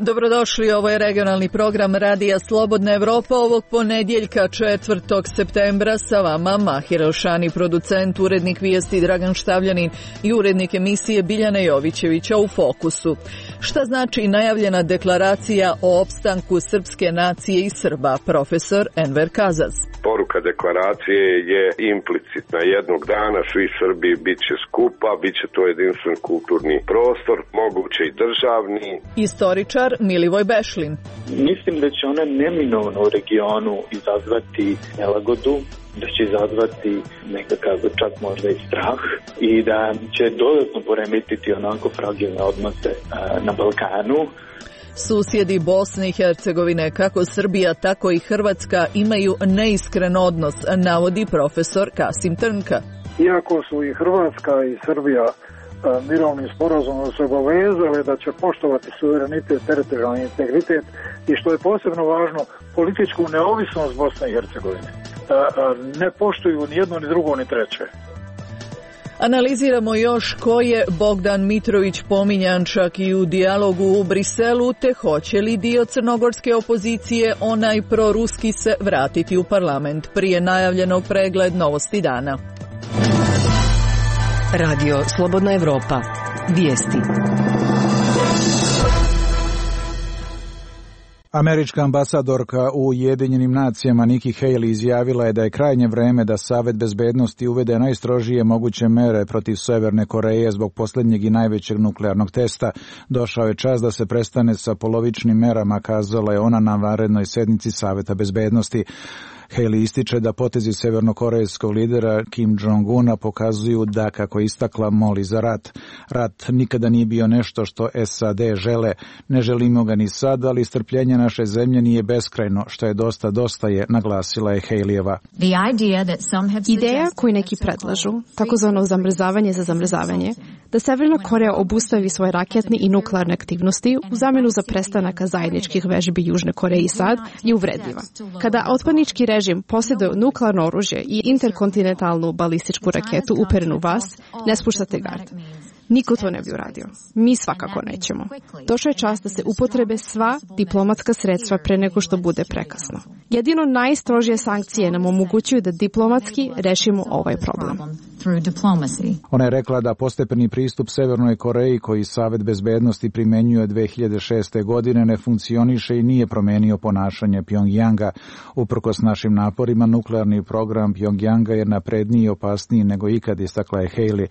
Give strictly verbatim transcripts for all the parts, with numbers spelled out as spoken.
Dobrodošli, ovo je regionalni program Radija Slobodna Evropa ovog ponedjeljka četvrtog septembra. Sa vama Mahir Elšani, producent, urednik vijesti Dragan Štavljanin i urednik emisije Biljana Jovićevića u Fokusu. Šta znači najavljena deklaracija o opstanku srpske nacije i Srba? Profesor Enver Kazaz. Poruka deklaracije je implicitna. Jednog dana svi Srbi bit će skupa, bit će to jedinstven kulturni prostor, moguće i državni. Istoričar Milivoj Bešlin. Mislim da će ona neminovno u regionu izazvati nelagodu, da će izazvati nekakav čak možda i strah i da će dodatno poremetiti onako fragilne odnose na Balkanu. Susjedi Bosne i Hercegovine, kako Srbija, tako i Hrvatska, imaju neiskren odnos, navodi profesor Kasim Trnka. Iako su i Hrvatska i Srbija mirovnim sporazumom se obavezale da će poštovati suverenitet, teritorijalni integritet i, što je posebno važno, političku neovisnost Bosne i Hercegovine, ne poštuju ni jedno, ni drugo, ni treće. Analiziramo još ko je Bogdan Mitrović pominjan čak i u dijalogu u Briselu, te hoće li dio crnogorske opozicije, onaj proruski, se vratiti u parlament. Prije najavljenog pregled novosti dana. Radio Slobodna Evropa. Vijesti. Američka ambasadorka u Ujedinjenim nacijama Nikki Haley izjavila je da je krajnje vreme da Savet bezbednosti uvede najstrožije moguće mere protiv Severne Koreje zbog posljednjeg i najvećeg nuklearnog testa. Došao je čas da se prestane sa polovičnim merama, kazala je ona na vanrednoj sednici Saveta bezbednosti. Haley ističe da potezi severnokorejskog lidera Kim Jong-una pokazuju da, kako je istakla, moli za rat. Rat nikada nije bio nešto što S A D žele. Ne želimo ga ni sad, ali strpljenje naše zemlje nije beskrajno, što je dosta dosta je, naglasila je Haleyeva. Ideja koju neki predlažu, takozvano zamrzavanje za zamrzavanje, da Severna Koreja obustavi svoje raketne i nuklearne aktivnosti u zamjenu za prestanak zajedničkih vežbi Južne Koreje i SAD, je uvredljiva. Kada otpadnički režim posjeduje nuklearno oružje i interkontinentalnu balističku raketu uperenu u vas, ne spuštate gard. Niko to ne bi uradio. Mi svakako nećemo. Došao je čas da se upotrebe sva diplomatska sredstva pre nego što bude prekasno. Jedino najstrožije sankcije nam omogućuju da diplomatski rešimo ovaj problem. Ona je rekla da postepeni pristup Severnoj Koreji, koji Savet bezbednosti primenjuje dve hiljade šeste. godine, ne funkcioniše i nije promenio ponašanje Pjongjanga. Uprkos našim naporima, nuklearni program Pjongjanga je napredniji i opasniji nego ikad, istakla je Haley.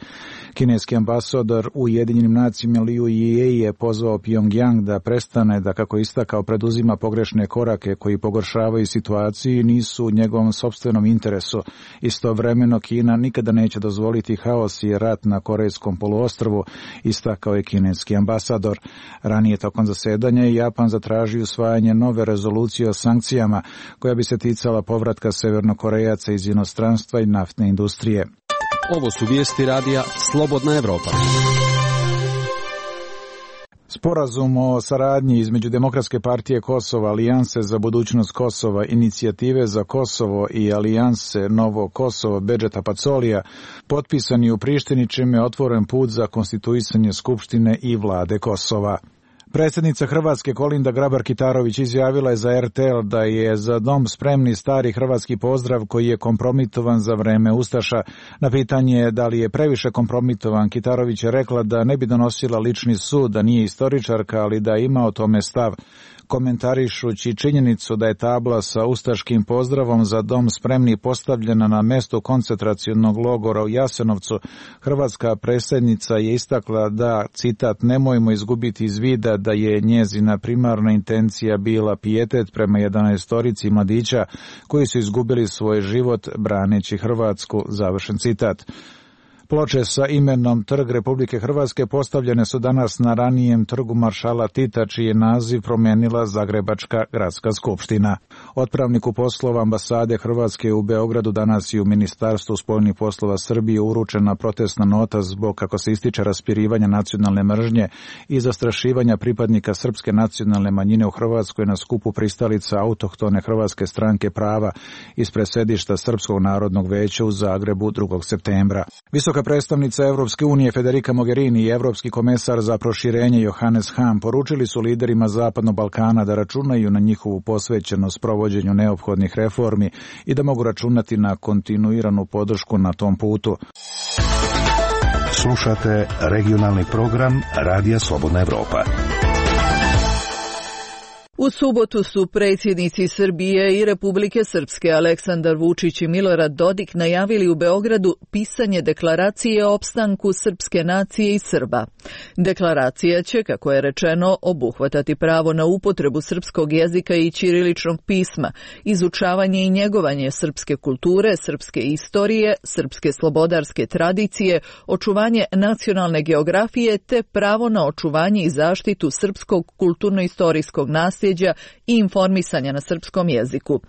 Kineski ambasador u Ujedinjenim nacijama Liu Jie je pozvao Pjongjang da prestane da, kako istakao, preduzima pogrešne korake koji pogoršavaju situaciju i nisu u njegovom sopstvenom interesu. Istovremeno Kina nikada neće dozvoliti haos i rat na Korejskom poluostrvu, istakao je kineski ambasador. Ranije tokom zasedanja je Japan zatražio usvajanje nove rezolucije o sankcijama koja bi se ticala povratka Severnokorejaca iz inostranstva i naftne industrije. Ovo su vijesti radija Slobodna Evropa. Sporazum o saradnji između Demokratske partije Kosova, Alijanse za budućnost Kosova, Inicijative za Kosovo i Alijanse Novo Kosovo Bedžeta Pacolija potpisan je u Prištini, čime je otvoren put za konstituisanje Skupštine i vlade Kosova. Predsjednica Hrvatske Kolinda Grabar-Kitarović izjavila je za R T L da je za dom spremni stari hrvatski pozdrav koji je kompromitovan za vreme Ustaša. Na pitanje da li je previše kompromitovan, Kitarović je rekla da ne bi donosila lični sud, da nije istoričarka, ali da ima o tome stav. Komentarišući činjenicu da je tabla sa ustaškim pozdravom za dom spremni postavljena na mestu koncentracionog logora u Jasenovcu, hrvatska predsjednica je istakla da, citat, nemojmo izgubiti iz vida da je njezina primarna intencija bila pijetet prema jedanaestorici mladića koji su izgubili svoj život braneći Hrvatsku, završen citat. Ploče sa imenom Trg Republike Hrvatske postavljene su danas na ranijem trgu Maršala Tita, čiji je naziv promijenila Zagrebačka gradska skupština. Otpravniku poslova ambasade Hrvatske u Beogradu danas i u Ministarstvu spoljnih poslova Srbije uručena protestna nota zbog, kako se ističe, raspirivanja nacionalne mržnje i zastrašivanja pripadnika srpske nacionalne manjine u Hrvatskoj na skupu pristalica autohtone Hrvatske stranke prava ispred sedišta Srpskog narodnog veća u Zagrebu drugog septembra. Visoka predstavnica Evropske unije Federica Mogherini i Evropski komesar za proširenje Johannes Hahn poručili su liderima Zapadnog Balkana da računaju na njihovu posvećenost provođenju neophodnih reformi i da mogu računati na kontinuiranu podršku na tom putu. Slušate regionalni program Radija Slobodna Evropa. U subotu su predsjednici Srbije i Republike Srpske Aleksandar Vučić i Milorad Dodik najavili u Beogradu pisanje deklaracije o opstanku srpske nacije i Srba. Deklaracija će, kako je rečeno, obuhvatati pravo na upotrebu srpskog jezika i ćiriličnog pisma, izučavanje i njegovanje srpske kulture, srpske istorije, srpske slobodarske tradicije, očuvanje nacionalne geografije te pravo na očuvanje i zaštitu srpskog kulturno-istorijskog nasljeđa i informisanja na srpskom jeziku.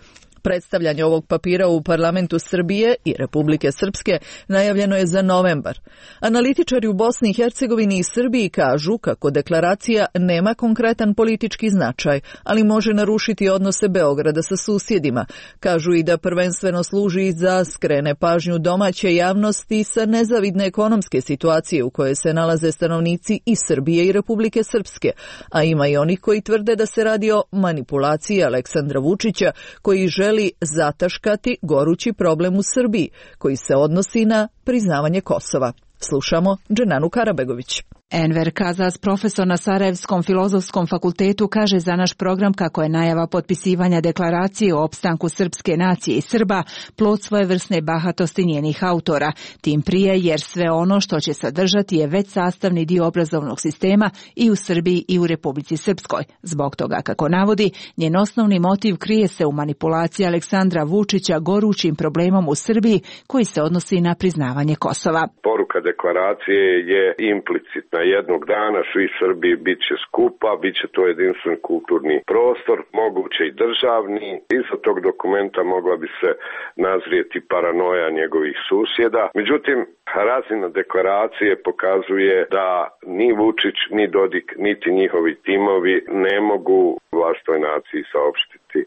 Predstavljanje ovog papira u parlamentu Srbije i Republike Srpske najavljeno je za novembar. Analitičari u Bosni i Hercegovini i Srbiji kažu kako deklaracija nema konkretan politički značaj, ali može narušiti odnose Beograda sa susjedima. Kažu i da prvenstveno služi za skrene pažnju domaće javnosti sa nezavidne ekonomske situacije u kojoj se nalaze stanovnici i Srbije i Republike Srpske, a ima i onih koji tvrde da se radi o manipulaciji Aleksandra Vučića koji želi želi zataškati gorući problem u Srbiji, koji se odnosi na priznavanje Kosova. Slušamo Dženanu Karabegović. Enver Kazas, profesor na Sarajevskom filozofskom fakultetu, kaže za naš program kako je najava potpisivanja deklaracije o opstanku srpske nacije i Srba plod svojevrsne bahatosti njenih autora, tim prije jer sve ono što će sadržati je već sastavni dio obrazovnog sistema i u Srbiji i u Republici Srpskoj. Zbog toga, kako navodi, njen osnovni motiv krije se u manipulaciji Aleksandra Vučića gorućim problemom u Srbiji koji se odnosi na priznavanje Kosova. Poruka deklaracije je implicitna. Jednog dana svi Srbi bit će skupa, bit će to jedinstven kulturni prostor, moguće i državni. Iza tog dokumenta mogla bi se nazrijeti paranoja njegovih susjeda. Međutim, razina deklaracije pokazuje da ni Vučić, ni Dodik, niti njihovi timovi ne mogu vlastitoj naciji saopštiti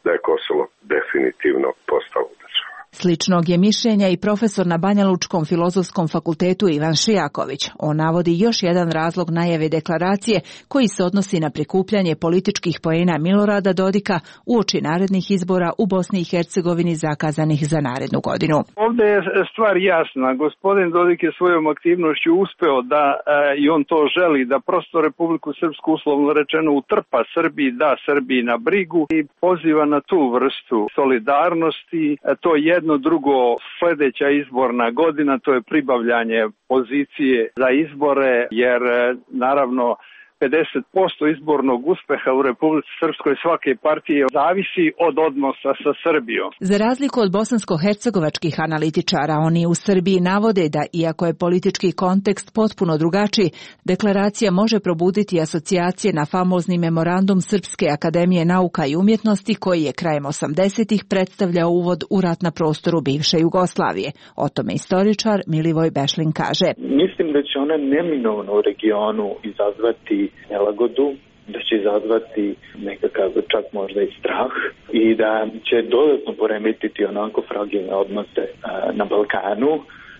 da je Kosovo definitivno postalo država. Sličnog je mišljenja i profesor na Banjalučkom filozofskom fakultetu Ivan Šijaković. On navodi još jedan razlog najave deklaracije koji se odnosi na prikupljanje političkih poena Milorada Dodika uoči narednih izbora u Bosni i Hercegovini zakazanih za narednu godinu. Ovdje je stvar jasna. Gospodin Dodik je svojom aktivnošću uspeo da, e, i on to želi, da prosto Republiku Srpsku uslovno rečeno utrpa Srbiji, da Srbiji na brigu i poziva na tu vrstu solidarnosti. E, to je jedno drugo, sljedeća izborna godina, to je pribavljanje pozicije za izbore, jer naravno pedeset posto izbornog uspeha u Republici Srpskoj svake partije zavisi od odnosa sa Srbijom. Za razliku od bosansko-hercegovačkih analitičara, oni u Srbiji navode da, iako je politički kontekst potpuno drugačiji, deklaracija može probuditi asocijacije na famozni memorandum Srpske akademije nauka i umjetnosti koji je krajem osamdesetih predstavljao uvod u rat na prostoru bivše Jugoslavije. O tome istoričar Milivoj Bešlin kaže. Mislim da će ona neminovno u regionu izazvati nelagodu, da će izazvati nekakav čak možda i strah i da će dodatno poremetiti onako fragilne odnose a, na Balkanu,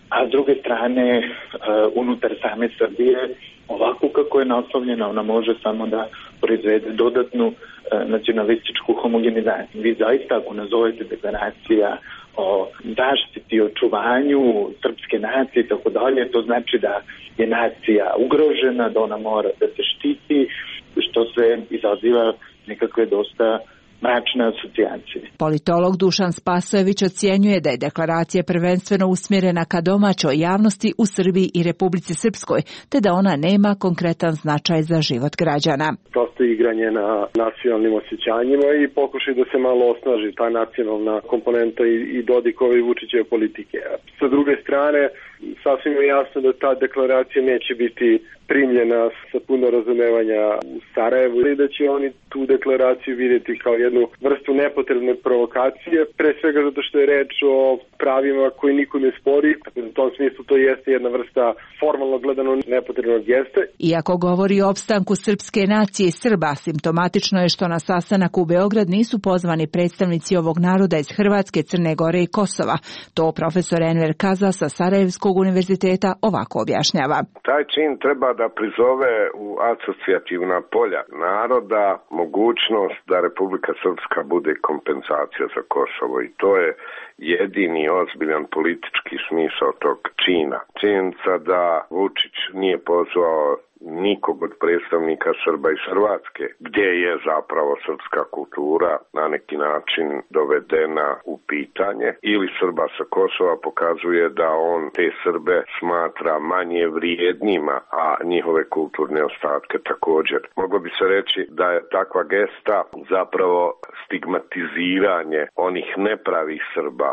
a s druge strane a, unutar same Srbije ovako kako je naslovljena ona može samo da proizvede dodatnu a, nacionalističku homogenizaciju. Vi zaista ako nazovete deklaracija o zaštiti i očuvanju srpske nacije i tako dalje, to znači da je nacija ugrožena, da ona mora da se štiti, što se izaziva nekakve dosta mračne asocijacije. Politolog Dušan Spasojević ocjenjuje da je deklaracija prvenstveno usmjerena ka domaćoj javnosti u Srbiji i Republici Srpskoj, te da ona nema konkretan značaj za život građana. Prosto igranje na nacionalnim osjećanjima i pokušaj da se malo osnaži ta nacionalna komponenta i, i Dodikove i Vučićeve politike. Sa druge strane, sasvim je jasno da ta deklaracija neće biti primljena sa puno razumevanja u Sarajevu i da će oni tu deklaraciju vidjeti kao jednu vrstu nepotrebne provokacije, pre svega zato što je reč o pravima koji niko ne spori. U tom smislu to jeste jedna vrsta formalno gledano nepotrebnog gesta. Iako govori o opstanku srpske nacije i Srba, simptomatično je što na sastanak u Beograd nisu pozvani predstavnici ovog naroda iz Hrvatske, Crne Gore i Kosova. To profesor Enver Kaza sa Sarajevskog univerziteta ovako objašnjava. Taj čin treba da prizove u asocijativna polja naroda mogućnost da Republika Srpska bude kompenzacija za Kosovo i to je jedini ozbiljan politički smisao tog čina. Činjenica da Vučić nije pozvao nikog od predstavnika Srba iz Hrvatske, gdje je zapravo srpska kultura na neki način dovedena u pitanje, ili Srba sa Kosova, pokazuje da on te Srbe smatra manje vrijednima, a njihove kulturne ostatke također. Moglo bi se reći da je takva gesta zapravo stigmatiziranje onih nepravih Srba.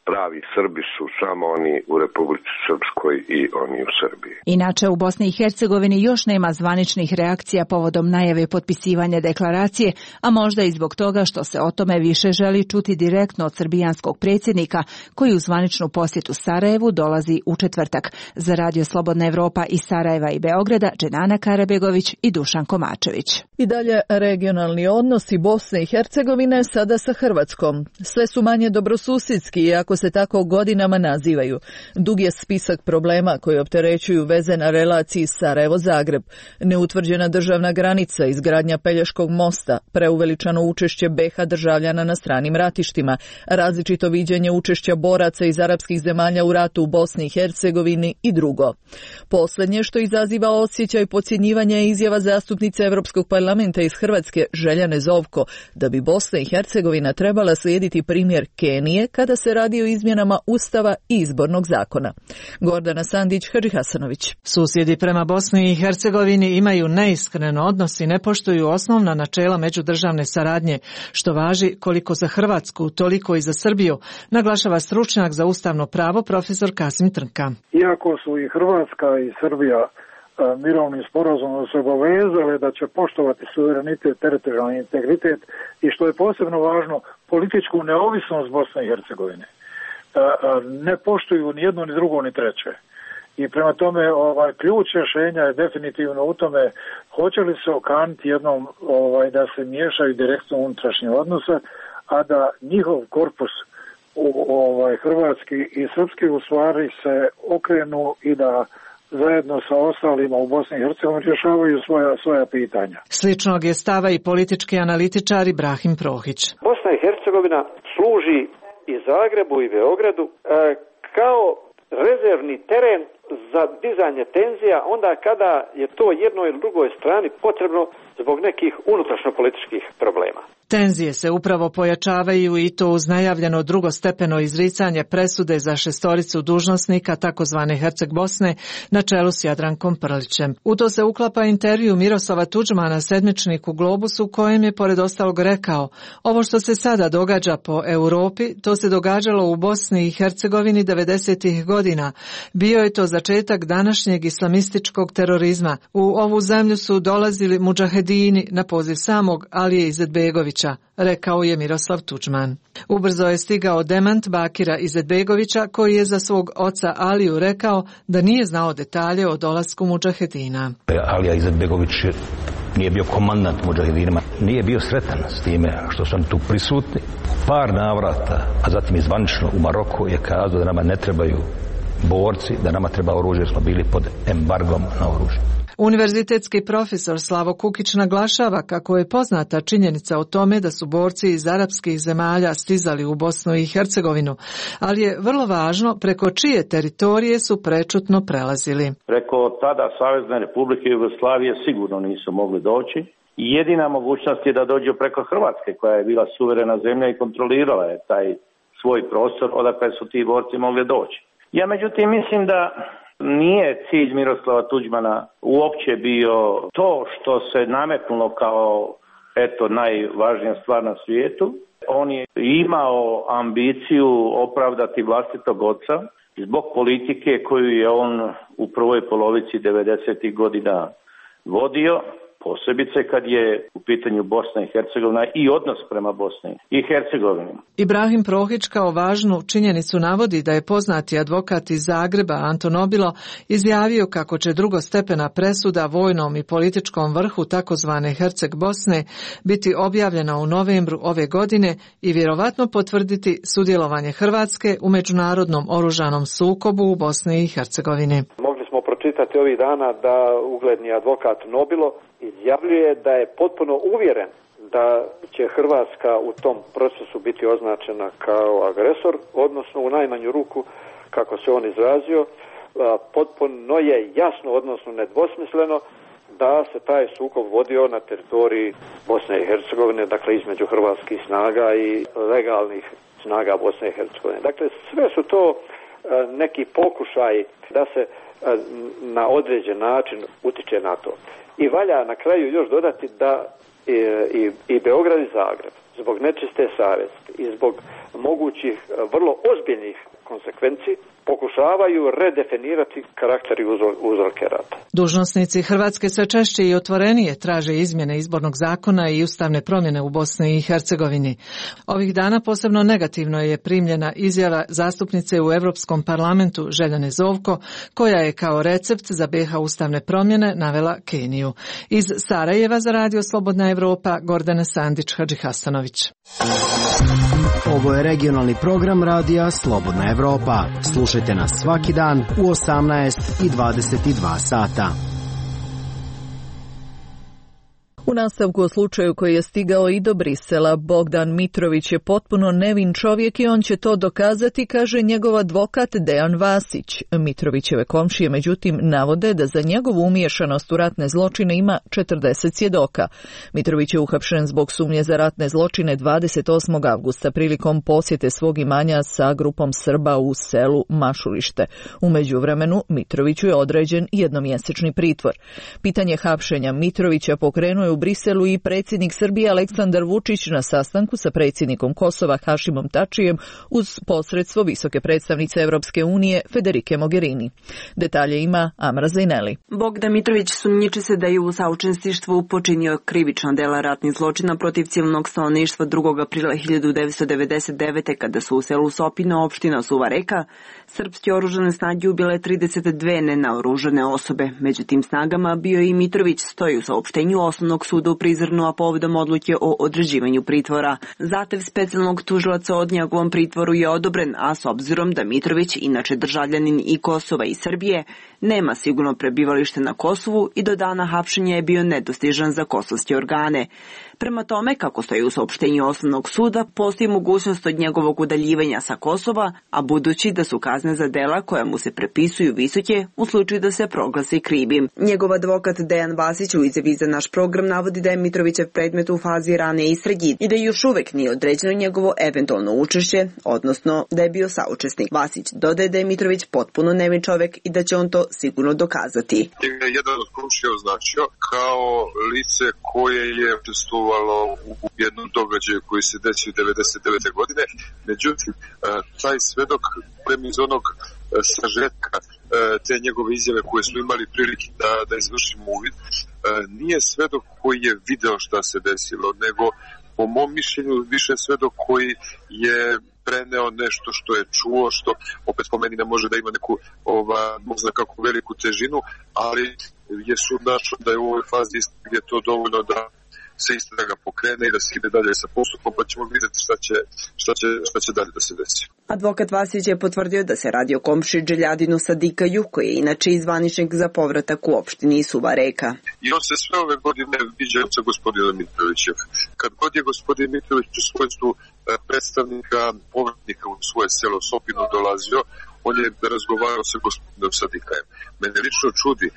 Pravi Srbi su samo oni u Republici Srpskoj i oni u Srbiji. Inače, u Bosni i Hercegovini još nema zvaničnih reakcija povodom najave potpisivanja deklaracije, a možda i zbog toga što se o tome više želi čuti direktno od srbijanskog predsjednika, koji u zvaničnu posjetu Sarajevu dolazi u četvrtak. Za Radio Slobodna Evropa iz Sarajeva i Beograda, Dženana Karabegović i Dušan Komačević. I dalje regionalni odnosi Bosne i Hercegovine sada sa Hrvatskom. Sve su manje dobrosusjedski, iako se tako godinama nazivaju. Dug je spisak problema koji opterećuju veze na relaciji Sarajevo-Zagreb. Neutvrđena državna granica, izgradnja Pelješkog mosta, preuveličano učešće be ha državljana na stranim ratištima, različito viđenje učešća boraca iz arapskih zemalja u ratu u Bosni i Hercegovini i drugo. Posljednje što izaziva osjećaj podcjenjivanja je izjava zastupnice Europskog parlamenta iz Hrvatske Željane Zovko da bi Bosna i Hercegovina trebala slijediti primjer Kenije kada se radi o izmjenama Ustava i izbornog zakona. Gordana Sandić, Hadži Hasanović. Susjedi prema Bosni i Hercegovini imaju neiskren odnos i ne poštuju osnovna načela međudržavne saradnje, što važi koliko za Hrvatsku, toliko i za Srbiju, naglašava stručnjak za ustavno pravo profesor Kasim Trnka. Iako su i Hrvatska i Srbija mirovnim sporazumom se obavezale da će poštovati suverenitet, teritorijalni integritet i što je posebno važno, političku neovisnost Bosne i Hercegovine. Ne poštuju ni jedno, ni drugo, ni treće. I prema tome ovaj ključ rješenja je definitivno u tome hoće li se okaniti jednom ovaj da se miješaju direktno u unutrašnje odnose, a da njihov korpus u, ovaj hrvatski i srpski u stvari se okrenu i da zajedno sa ostalima u Bosni i Hercegovini rješavaju svoja, svoja pitanja. Sličnog je stava i politički analitičar Ibrahim Prohić. Bosna i Hercegovina služi i Zagrebu i Beogradu e, kao rezervni teren za dizanje tenzija onda kada je to jednoj ili drugoj strani potrebno zbog nekih unutrašnjopolitičkih problema. Tenzije se upravo pojačavaju i to uz najavljeno drugostepeno izricanje presude za šestoricu dužnosnika takozvane Herceg Bosne na čelu s Jadrankom Prlićem. U to se uklapa intervju Miroslava Tuđmana sedmičniku Globus u kojem je pored ostalog rekao: ovo što se sada događa po Europi, to se događalo u Bosni i Hercegovini devedesetih godina. Bio je to začetak današnjeg islamističkog terorizma. U ovu zemlju su dolazili mudžahedini na poziv samog Alije Izetbegovića, rekao je Miroslav Tuđman. Ubrzo je stigao demant Bakira Izetbegovića, koji je za svog oca Aliju rekao da nije znao detalje o dolasku mudžahedina. Alija Izetbegović nije bio komandant mudžahedinima, nije bio sretan s time što su oni tu prisutni. Par navrata, a zatim i zvanično u Maroku je kazao da nama ne trebaju borci, da nama treba oružje jer smo bili pod embargom na oružje. Univerzitetski profesor Slavo Kukić naglašava kako je poznata činjenica o tome da su borci iz arapskih zemalja stizali u Bosnu i Hercegovinu, ali je vrlo važno preko čije teritorije su prečutno prelazili. Preko tada Savezne Republike Jugoslavije sigurno nisu mogli doći. Jedina mogućnost je da dođu preko Hrvatske, koja je bila suverena zemlja i kontrolirala je taj svoj prostor odakle su ti borci mogli doći. Ja međutim mislim da nije cilj Miroslava Tuđmana uopće bio to što se nametnulo kao eto najvažnija stvar na svijetu. on je imao ambiciju opravdati vlastitog oca zbog politike koju je on u prvoj polovici devedesetih godina vodio, posebice kad je u pitanju Bosna i Hercegovina i odnos prema Bosni i Hercegovini. Ibrahim Prohić kao važnu činjenicu navodi da je poznati advokat iz Zagreba Anton Obilo izjavio kako će drugostepena presuda vojnom i političkom vrhu takozvane Herceg Bosne biti objavljena u novembru ove godine i vjerovatno potvrditi sudjelovanje Hrvatske u međunarodnom oružanom sukobu u Bosni i Hercegovini. Mogli smo pročitati ovih dana da ugledni advokat Nobilo izjavljuje da je potpuno uvjeren da će Hrvatska u tom procesu biti označena kao agresor, odnosno u najmanju ruku, kako se on izrazio, potpuno je jasno, odnosno nedvosmisleno, da se taj sukob vodio na teritoriji Bosne i Hercegovine, dakle između hrvatskih snaga i legalnih snaga Bosne i Hercegovine. Dakle, sve su to neki pokušaj da se na određen način utiče na to. I valja na kraju još dodati da i, i, i Beograd i Zagreb zbog nečiste savjesti i zbog mogućih vrlo ozbiljnih konsekvenci pokušavaju redefinirati karakter i uzroke rata. Dužnosnici Hrvatske sve češće i otvorenije traže izmjene izbornog zakona i ustavne promjene u Bosni i Hercegovini. Ovih dana posebno negativno je primljena izjava zastupnice u Europskom parlamentu Željane Zovko, koja je kao recept za B iH ustavne promjene navela Keniju. Iz Sarajeva za Radio Slobodna Evropa, Gordana Sandić-Hadžihasanović. Ovo je regionalni program Radija Slobodna Evropa. Slušajte nas svaki dan u osamnaest i dvadeset dva sata. U nastavku o slučaju koji je stigao i do Brisela, Bogdan Mitrović je potpuno nevin čovjek i on će to dokazati, kaže njegov advokat Dejan Vasić. Mitrovićeve komšije međutim navode da za njegovu umiješanost u ratne zločine ima četrdeset svjedoka. Mitrović je uhapšen zbog sumnje za ratne zločine dvadeset osmog avgusta prilikom posjete svog imanja sa grupom Srba u selu Mašulište. U međuvremenu Mitroviću je određen jednomjesečni pritvor. Pitanje hapšenja Mitrovića pokrenuo je u Briselu i predsjednik Srbije Aleksandar Vučić na sastanku sa predsjednikom Kosova Hašimom Tačijem uz posredstvo visoke predstavnice Europske unije Federike Mogherini. Detalje ima Amra Zajneli. Bogdan Mitrović sumnjiči se da je u saučesništvu počinio krivično dela ratnih zločina protiv civilnog stanovništva drugog aprila hiljadu devetsto devedeset devete. kada su u selu Sopino, opština Suva Reka, srpske oružane snage ubile trideset dve nenaoružane osobe. Među tim snagama bio i Mitrović, stoji u saopštenju Osnovnog suda u Prizrenu, a povodom odluke o određivanju pritvora. Zahtev specijalnog tužilaca od njegovom pritvoru je odobren, a s obzirom da Mitrović, inače državljanin i Kosova i Srbije, nema sigurno prebivalište na Kosovu i do dana hapšenja je bio nedostižan za kosovske organe. Prema tome, kako stoji u saopštenju Osnovnog suda, postoji mogućnost od njegovog udaljivanja sa Kosova, a budući da su kazne za dela koja mu se prepisuju visoke u slučaju da se proglasi krivim. Njegov advokat Dejan Vasić u izjavi za naš program navodi da je Mitrovićev predmet u fazi rane istrage i da još uvek nije određeno njegovo eventualno učešće, odnosno da je bio saučesnik. Vasić dodaje da je Mitrović potpuno nevin čovek i da će on to sigurno dokazati. Jedan od komšija označio kao lice koje je učestvovalo u jednom događaju koji se desio devedeset devete. godine. Međutim, taj svedok prema iz onog sažetka te njegove izjave koje smo imali prilike da, da izvršimo uvid, nije svedok koji je video šta se desilo, nego po mom mišljenju više svedok koji je preneo nešto što je čuo, što opet po meni ne može da ima neku ova, možda kako veliku težinu, ali je sud našao da je u ovoj fazi istrage to dovoljno da se istraga pokrene i da se ide dalje sa postupom, pa ćemo vidjeti šta će, šta će, šta će dalje da se desi. Advokat Vasić je potvrdio da se radi o komši Dželjadinu Sadikaju, koji je inače izvaničnik za povratak u opštini Suva Reka. I on se sve ove godine viđao sa gospodinom Mitrovićem. Kad god je gospodin Mitrović u svojstvu predstavnika povratnika u svoje selo Sopino dolazio, on je razgovarao sa gospodinom Sadikajem. Mene lično čudi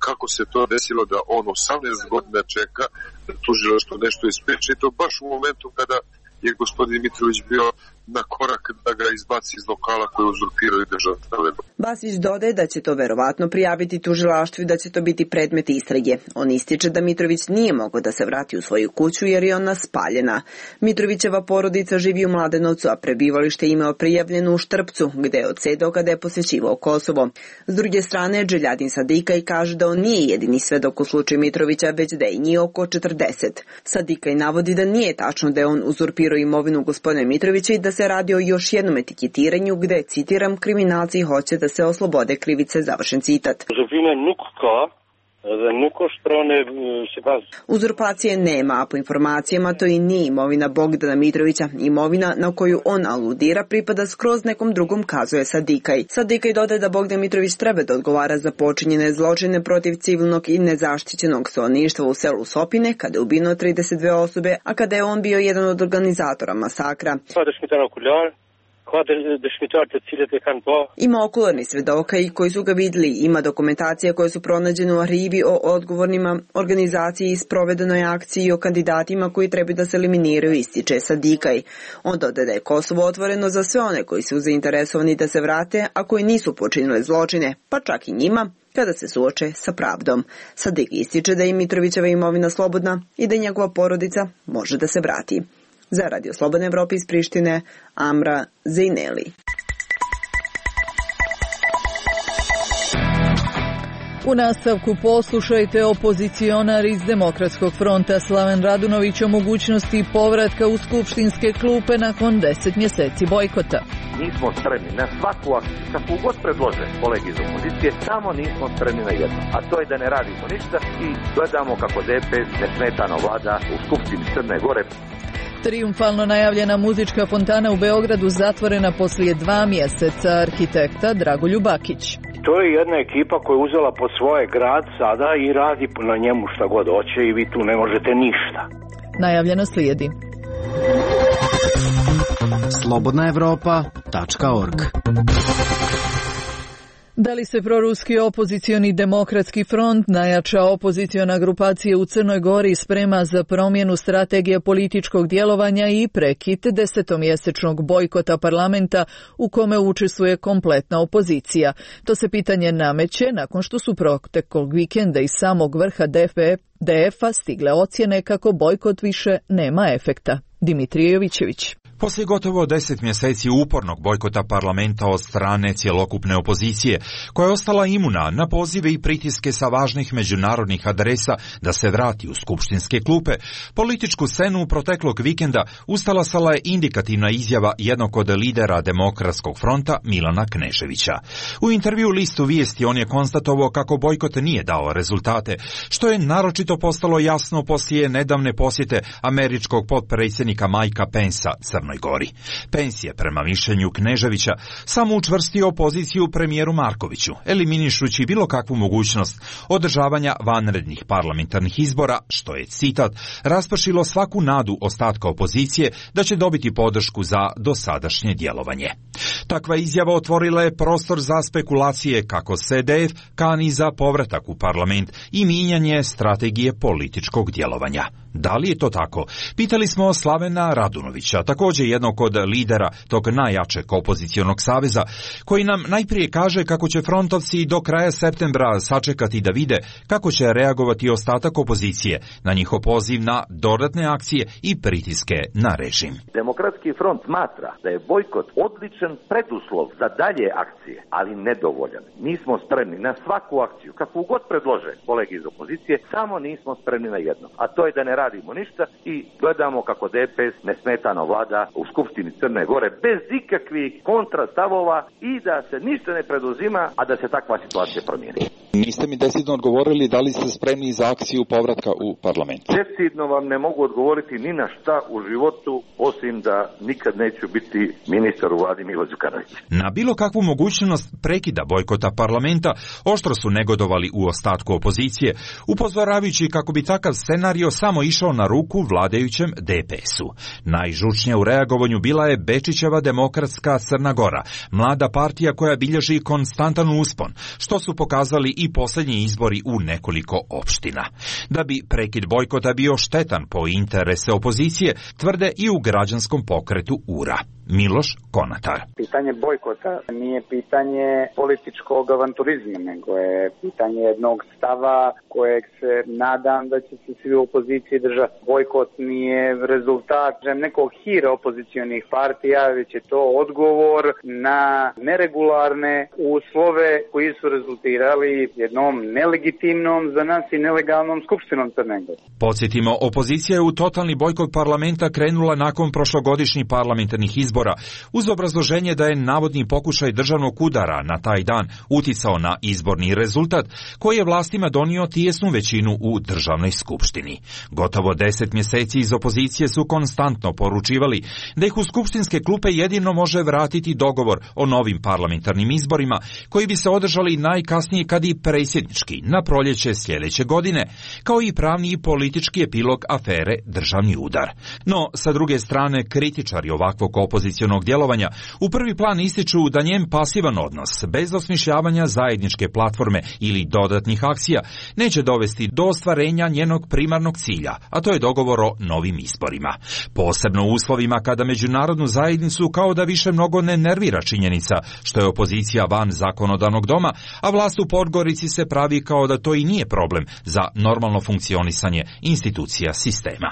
kako se to desilo da on osamnaest godina čeka da tužilaštvo nešto ispriča i to baš u momentu kada je gospodin Mitrović bio na korak da ga izbaci iz lokala koji uzurpiraju državne televizije. Basić dodaje da će to verovatno prijaviti tužilaštvu i da će to biti predmet istrage. On ističe da Mitrović nije mogao da se vrati u svoju kuću jer je ona spaljena. Mitrovićeva porodica živi u Mladenovcu, a prebivalište imao prijavljeno u Štrpcu, gde je odsedao kada je posjećivao Kosovo. S druge strane, Dželjadin Sadikaj kaže da on nije jedini svedok u slučaju Mitrovića, već da je njih oko četrdeset. Sadikaj navodi da nije tačno da je on uzurpirao imovinu gospodina Mitrovića i da se radi o još jednom etiketiranju gde, citiram, kriminalci hoće da se oslobode krivice, završen citat. Uzurpacije nema, a po informacijama to i nije imovina Bogdana Mitrovića. Imovina na koju on aludira pripada skroz nekom drugom, kazuje Sadikaj. Sadikaj dodaje da Bogdan Mitrović treba da odgovara za počinjene zločine protiv civilnog i nezaštićenog stanovništva u selu Sopine, kada je ubijeno trideset dve osobe, a kada je on bio jedan od organizatora masakra. Ima okularni svedoka i koji su ga vidjeli, ima dokumentacija koje su pronađene u arhivi o odgovornima organizaciji i sprovedenoj akciji i o kandidatima koji treba da se eliminiraju, ističe Sadikaj. On dodaje da je Kosovo otvoreno za sve one koji su zainteresovani da se vrate, a koji nisu počinili zločine, pa čak i njima, kada se suoče sa pravdom. Sadikaj ističe da je Mitrovićeva imovina slobodna i da njegova porodica može da se vrati. Za Radio Slobodne Evrope iz Prištine, Amra Zejneli. U nastavku poslušajte, opozicionar iz Demokratskog fronta Slaven Radunović o mogućnosti povratka u skupštinske klupe nakon deset mjeseci bojkota. Nismo spremni na svaku akciju, kako god predlože kolegi iz opozicije, samo nismo spremni na jedno, a to je da ne radimo ništa i gledamo kako D P S nesmetano vlada u Skupštini Crne Gore. Trijumfalno najavljena muzička fontana u Beogradu zatvorena poslije dva mjeseca, arhitekta Dragoljub Bakić. To je jedna ekipa koja je uzela pod svoje grad sada i radi na njemu šta god hoće i vi tu ne možete ništa. Najavljeno slijedi. slobodna evropa tačka org. Da li se proruski opozicioni demokratski front, najjača opoziciona grupacija u Crnoj Gori, sprema za promjenu strategije političkog djelovanja i prekid desetomjesečnog bojkota parlamenta u kome učestvuje kompletna opozicija? To se pitanje nameće nakon što su proteklog vikenda iz samog vrha D F-a stigle ocjene kako bojkot više nema efekta. Dimitrije Jovićević. Poslije gotovo deset mjeseci upornog bojkota parlamenta od strane cjelokupne opozicije, koja je ostala imuna na pozive i pritiske sa važnih međunarodnih adresa da se vrati u skupštinske klupe, političku scenu proteklog vikenda ustalasala je indikativna izjava jednog od lidera Demokratskog fronta Milana Kneževića. U intervju listu Vijesti on je konstatovao kako bojkot nije dao rezultate, što je naročito postalo jasno poslije nedavne posjete američkog potpredsjednika Mikea Pensa Crnoj Gori. Pence je, prema mišljenju Kneževića, samo učvrstio opoziciju premijeru Markoviću, eliminišući bilo kakvu mogućnost održavanja vanrednih parlamentarnih izbora, što je, citat, raspršilo svaku nadu ostatka opozicije da će dobiti podršku za dosadašnje djelovanje. Takva izjava otvorila je prostor za spekulacije kako se D F kani za povratak u parlament i mijenjanje strategije političkog djelovanja. Da li je to tako? Pitali smo Slavena Radunovića, također jednog od lidera tog najjačeg opozicionog saveza, koji nam najprije kaže kako će frontovci do kraja septembra sačekati da vide kako će reagovati ostatak opozicije na njihov poziv na dodatne akcije i pritiske na režim. Demokratski front smatra da je bojkot odličan preduslov za dalje akcije, ali nedovoljan. Nismo spremni na svaku akciju, kakvu god predlože kolegi iz opozicije, samo nismo spremni na jedno, a to je da ne radimo ništa i gledamo kako D P S nesmetano vlada u Skupštini Crne Gore bez ikakvih kontrastavova i da se ništa ne preduzima, a da se takva situacija promijeni. Niste mi decidno odgovorili da li ste spremni za akciju povratka u parlament. Decidno vam ne mogu odgovoriti ni na šta u životu, osim da nikad neću biti ministar u vladi Milo Đukanovića. Na bilo kakvu mogućnost prekida bojkota parlamenta oštro su negodovali u ostatku opozicije, upozoravajući kako bi takav scenario samo išao na ruku vladajućem D P S-u. Najžučnija u reagovanju bila je Bečićeva Demokratska Crna Gora, mlada partija koja bilježi konstantan uspon, što su pokazali i posljednji izbori u nekoliko opština. Da bi prekid bojkota bio štetan po interese opozicije, tvrde i u građanskom pokretu U R A. Miloš Konatar. Pitanje bojkota nije pitanje političkog avanturizma, nego je pitanje jednog stava kojeg se nadam da će se svi u opoziciji držati. Bojkot nije rezultat nekog hira opozicionih partija, već je to odgovor na neregularne uslove koji su rezultirali jednom nelegitimnom za nas i nelegalnom skupštinom Crne Gore. Podsjetimo, opozicija je u totalni bojkot parlamenta krenula nakon prošlogodišnjih parlamentarnih izbora, uz obrazloženje da je navodni pokušaj državnog udara na taj dan uticao na izborni rezultat, koji je vlastima donio tijesnu većinu u državnoj skupštini. Gotovo deset mjeseci iz opozicije su konstantno poručivali da ih u skupštinske klupe jedino može vratiti dogovor o novim parlamentarnim izborima, koji bi se održali najkasnije kad i predsjednički na proljeće sljedeće godine, kao i pravni i politički epilog afere državni udar. No, sa druge strane, kritičari ovakvog opozicionog djelovanja u prvi plan ističu da njen pasivan odnos, bez osmišljavanja zajedničke platforme ili dodatnih akcija, neće dovesti do ostvarenja njenog primarnog cilja, a to je dogovor o novim izborima. Posebno u uslovima kada međunarodnu zajednicu kao da više mnogo ne nervira činjenica što je opozicija van zakonodavnog doma, a vlast u Podgorici se pravi kao da to i nije problem za normalno funkcionisanje institucija sistema.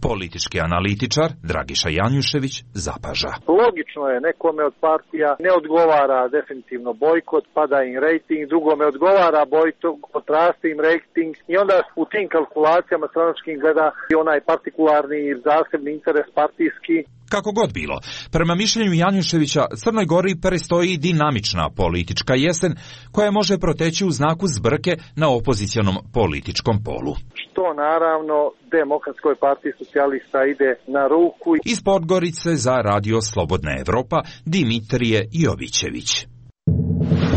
Politički analitičar Dragiša Janjušević zapaža. Logično je, nekome od partija ne odgovara definitivno bojkot, pada im rejting, drugome odgovara bojkot, raste im rejting i onda u tim kalkulacijama stranačkim gleda i onaj partikularni zasebni interes partijski. Kako god bilo, prema mišljenju Janjuševića, Crnoj Gori predstoji dinamična politička jesen koja može proteći u znaku zbrke na opozicionom političkom polu. Što naravno Demokratskoj partiji socijalista ide na ruku. Iz Podgorice za Radio Slobodna Evropa, Dimitrije Jovićević.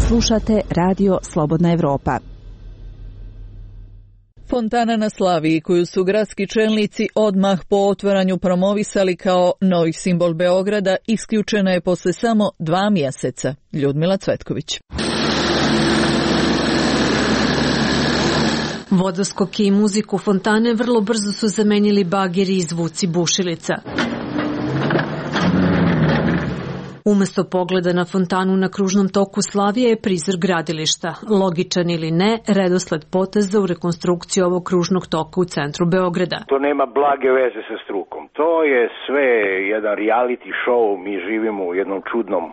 Slušate Radio Slobodna Evropa. Fontana na Slaviji, koju su gradski čelnici odmah po otvaranju promovisali kao novi simbol Beograda, isključena je posle samo dva mjeseca. Ljudmila Cvetković. Vodoskoke i muziku fontane vrlo brzo su zamenili bageri i zvuci bušilica. Umesto pogleda na fontanu na kružnom toku Slavije je prizor gradilišta. Logičan ili ne, redosled poteza u rekonstrukciji ovog kružnog toka u centru Beograda. To nema blage veze sa strukom. To je sve jedan reality show. Mi živimo u jednom čudnom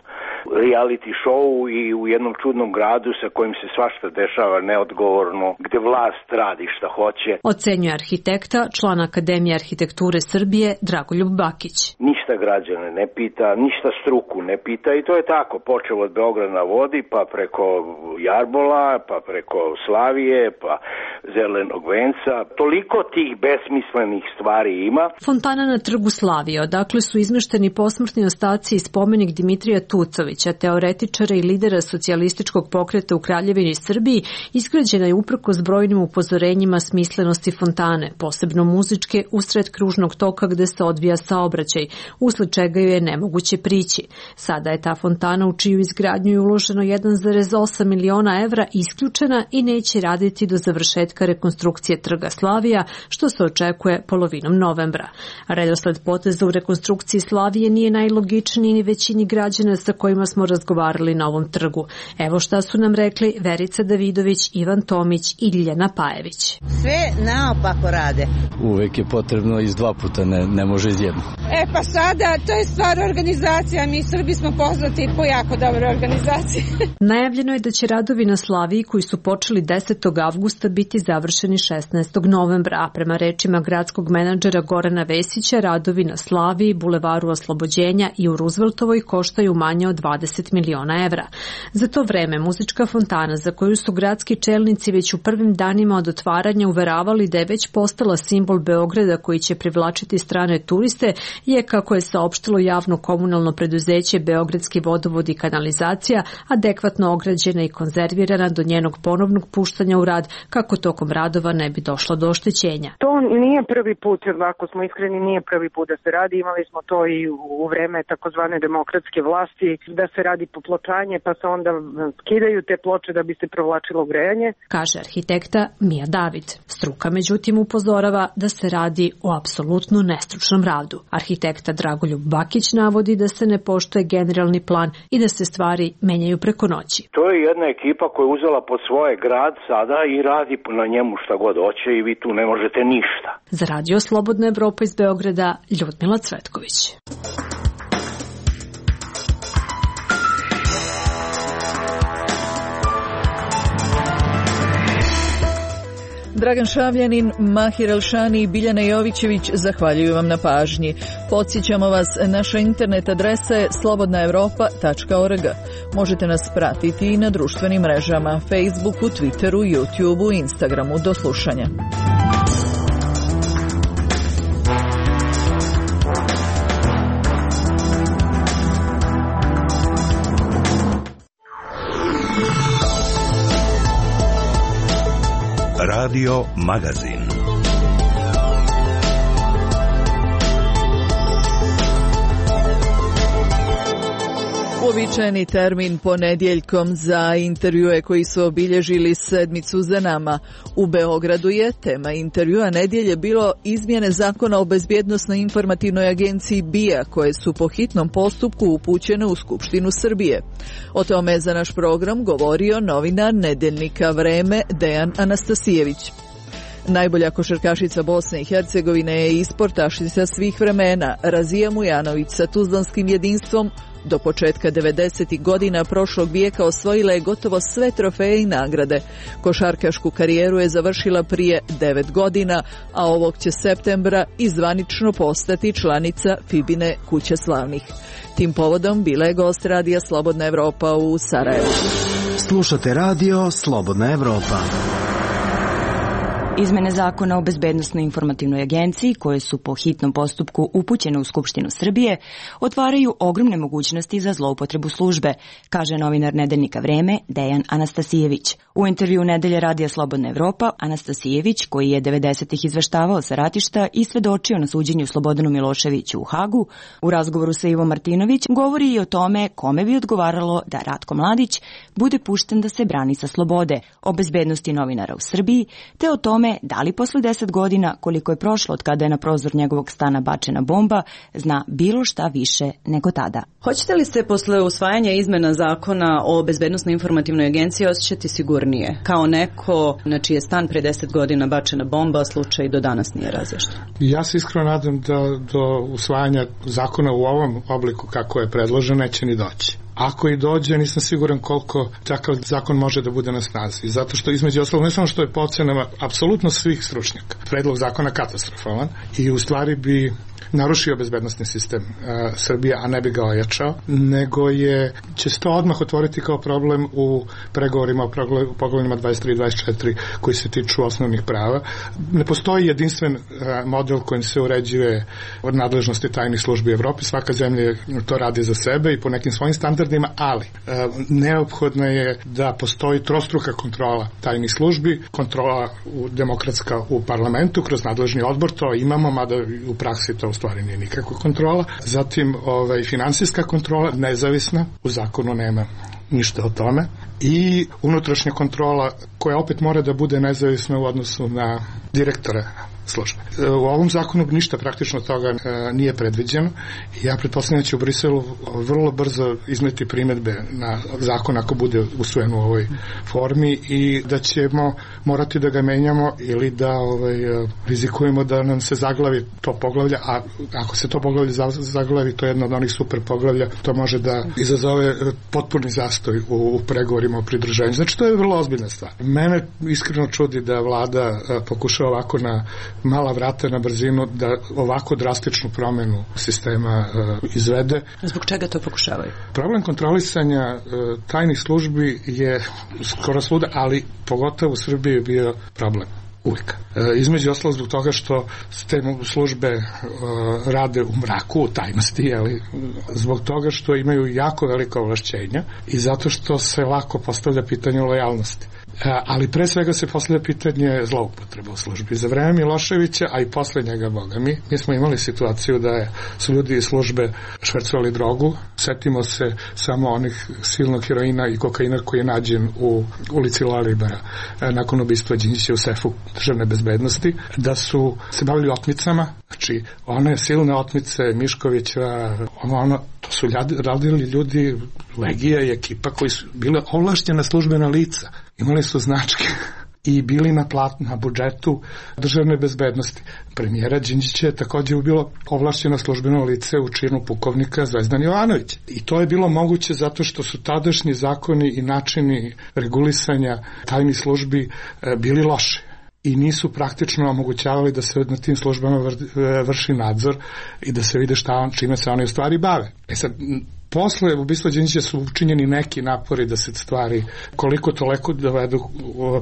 reality show i u jednom čudnom gradu sa kojim se svašta dešava neodgovorno, gde vlast radi šta hoće. Ocenjuje arhitekta, član Akademije arhitekture Srbije, Dragoljub Bakić. Ništa građane ne pita, ništa struku ne pita i to je tako. Počeo od Beograda na vodi, pa preko Jarbola, pa preko Slavije, pa Zelenog venca. Toliko tih besmislenih stvari ima. Fontana na trgu Slavije, odakle su izmešteni posmrtni ostaci i spomenik Dimitrija Tucovića, teoretičara i lidera socijalističkog pokreta u Kraljevini Srbiji, izgrađena je uprkos brojnim upozorenjima smislenosti fontane, posebno muzičke, usred kružnog toka gde se odvija saobraćaj, usled čega ju je nemoguće prići. Sada je ta fontana, u čiju izgradnju je uloženo jedan zarez osam miliona evra, isključena i neće raditi do završetka rekonstrukcije trga Slavija, što se očekuje polovinom novembra. Redosled poteza u rekonstrukciji Slavije nije najlogičniji ni većini građana sa kojima smo razgovarali na ovom trgu. Evo šta su nam rekli Verica Davidović, Ivan Tomić i Ljiljana Pajević. Sve naopako rade. Uvek je potrebno iz dva puta, ne, ne može iz jedno. E pa sada, to je stvar organizacija. Mi Srbi smo poznati po jako dobroj organizaciji. Najavljeno je da će radovi na Slaviji, koji su počeli desetog avgusta, biti završeni šesnaestog novembra, a prema rečima gradskog menadžera Gorana Vesića, radovi na Slaviji, Bulevaru Oslobođenja i u Rooseveltovoj koštaju manje od dvadeset miliona evra. Za to vreme muzička fontana, za koju su gradski čelnici već u prvim danima od otvaranja uveravali da je već postala simbol Beograda koji će privlačiti strane turiste, je, kako je saopštilo javno komunalno preduzeće preduzeće Beogradski vodovod i kanalizacija adekvatno ograđena i konzervirana do njenog ponovnog puštanja u rad kako tokom radova ne bi došlo do oštećenja. To nije prvi put, ako smo iskreni, nije prvi put da se radi. Imali smo to i u vreme takozvane demokratske vlasti, da se radi popločanje pa se onda skidaju te ploče da bi se provlačilo grejanje. Kaže arhitekta Mija David. Struka međutim upozorava da se radi o apsolutno nestručnom radu. Arhitekta Dragoljub Bakić navodi da se ne poštuje generalni plan i da se stvari menjaju preko noći. To je jedna ekipa koja je uzela pod svoje grad sada i radi na njemu šta god hoće i vi tu ne možete ništa. Za Radio Slobodna Evropa iz Beograda, Ljudmila Cvetković. Dragan Šavljanin, Mahir Elšani i Biljana Jovićević zahvaljuju vam na pažnji. Podsjećamo vas, naša internet adresa je slobodna evropa tačka org. Možete nas pratiti i na društvenim mrežama, Facebooku, Twitteru, YouTubeu i Instagramu. Do slušanja. Radio Magazin. Uobičajeni termin ponedjeljkom za intervjue koji su obilježili sedmicu za nama. U Beogradu je tema intervjua nedjelje bilo izmjene zakona o bezbjednosnoj informativnoj agenciji B I A koje su po hitnom postupku upućene u Skupštinu Srbije. O tome je za naš program govorio novinar nedeljnika Vreme Dejan Anastasijević. Najbolja košarkašica Bosne i Hercegovine je i sportašica svih vremena Razija Mujanović sa tuzlanskim jedinstvom do početka devedesetih godina prošlog vijeka osvojila je gotovo sve trofeje i nagrade. Košarkašku karijeru je završila prije devet godina, a ovog će septembra i zvanično postati članica Fibine kuće slavnih. Tim povodom bila je gost Radija Slobodna Evropa u Sarajevu. Slušate Radio Slobodna Evropa. Izmene zakona o bezbednosnoj informativnoj agenciji, koje su po hitnom postupku upućene u Skupštinu Srbije, otvaraju ogromne mogućnosti za zloupotrebu službe, kaže novinar nedeljnika Vreme Dejan Anastasijević. U intervju Nedelje Radija Slobodna Evropa, Anastasijević, koji je devedesetih izveštavao sa ratišta i svedočio na suđenju Slobodanu Miloševiću u Hagu, u razgovoru sa Ivom Martinović govori i o tome kome bi odgovaralo da Ratko Mladić bude pušten da se brani sa slobode, o bezbednosti novinara u Srbiji, te o tome da li posle deset godina, koliko je prošlo od kada je na prozor njegovog stana bačena bomba, zna bilo šta više nego tada. Hoćete li se posle usvajanja izmena zakona o bezbednosnoj informativnoj agenciji osjećati sigurnije? Kao neko na čiji je stan pre deset godina bačena bomba, slučaj do danas nije razjašnjen. Ja se iskreno nadam da do usvajanja zakona u ovom obliku kako je predložen neće ni doći. Ako i dođe, nisam siguran koliko takav zakon može da bude na snazi. Zato što između ostalog, ne samo što je po ocenama apsolutno svih stručnjaka, predlog zakona katastrofalan i u stvari bi narušio bezbednosni sistem uh, Srbije, a ne bi ga ojačao, nego je, će se to odmah otvoriti kao problem u pregovorima o poglavljima dvadeset tri i dvadeset četiri koji se tiču osnovnih prava. Ne postoji jedinstven uh, model kojim se uređuje od nadležnosti tajnih službi Evrope. Svaka zemlja to radi za sebe i po nekim svojim standardima, ali uh, neophodno je da postoji trostruka kontrola tajnih službi, kontrola u, demokratska u parlamentu kroz nadležni odbor, to imamo, mada u praksi to u stvari nije nikakva kontrola. Zatim ovaj, finansijska kontrola, nezavisna, u zakonu nema ništa o tome. I unutrašnja kontrola koja opet mora da bude nezavisna u odnosu na direktore službe. U ovom zakonu ništa praktično toga nije predviđeno i ja pretpostavljam da će u Briselu vrlo brzo izneti primedbe na zakon ako bude usvojen u ovoj formi i da ćemo morati da ga menjamo ili da ovaj, rizikujemo da nam se zaglavi to poglavlje, a ako se to poglavlje zaglavi, to je jedno od onih super poglavlja, to može da izazove potpuni zastoj u, u pregovorima o pridruženju. Znači to je vrlo ozbiljna stvar. Mene iskreno čudi da vlada pokušava ovako na mala vrata na brzinu da ovako drastičnu promenu sistema uh, izvede. Zbog čega to pokušavaju? Problem kontrolisanja uh, tajnih službi je skoro svuda, ali pogotovo u Srbiji je bio problem. Uvijek. E, između ostalo zbog toga što te službe e, rade u mraku, u tajnosti, jeli, zbog toga što imaju jako velika ovlašćenja i zato što se lako postavlja pitanje lojalnosti. Ali pre svega se postavlja pitanje zloupotreba u službi. Za vreme Miloševića, a i posle njega, boga mi, mi smo imali situaciju da je, su ljudi iz službe švercovali drogu. Setimo se samo onih silnog heroina i kokaina koji je nađen u ulici Lalibera nakon ubistva Đinđića u sefu državne bezbednosti, da su se bavili otmicama, znači one silne otmice Miškovića, ono, ono, to su radili ljudi, Legija i ekipa koji su bile ovlašćena službena lica. Imali su značke i bili na plat, na budžetu državne bezbednosti. Premijera Đinđića je također bilo ovlašćeno službeno lice u činu pukovnika Zvezdan Jovanović. I to je bilo moguće zato što su tadašnji zakoni i načini regulisanja tajnih službi bili loši i nisu praktično omogućavali da se na tim službama vrši nadzor i da se vide šta on, čime se oni u stvari bave. E sad, posle ubistva Đinđića su učinjeni neki napori da se stvari koliko toliko dovedu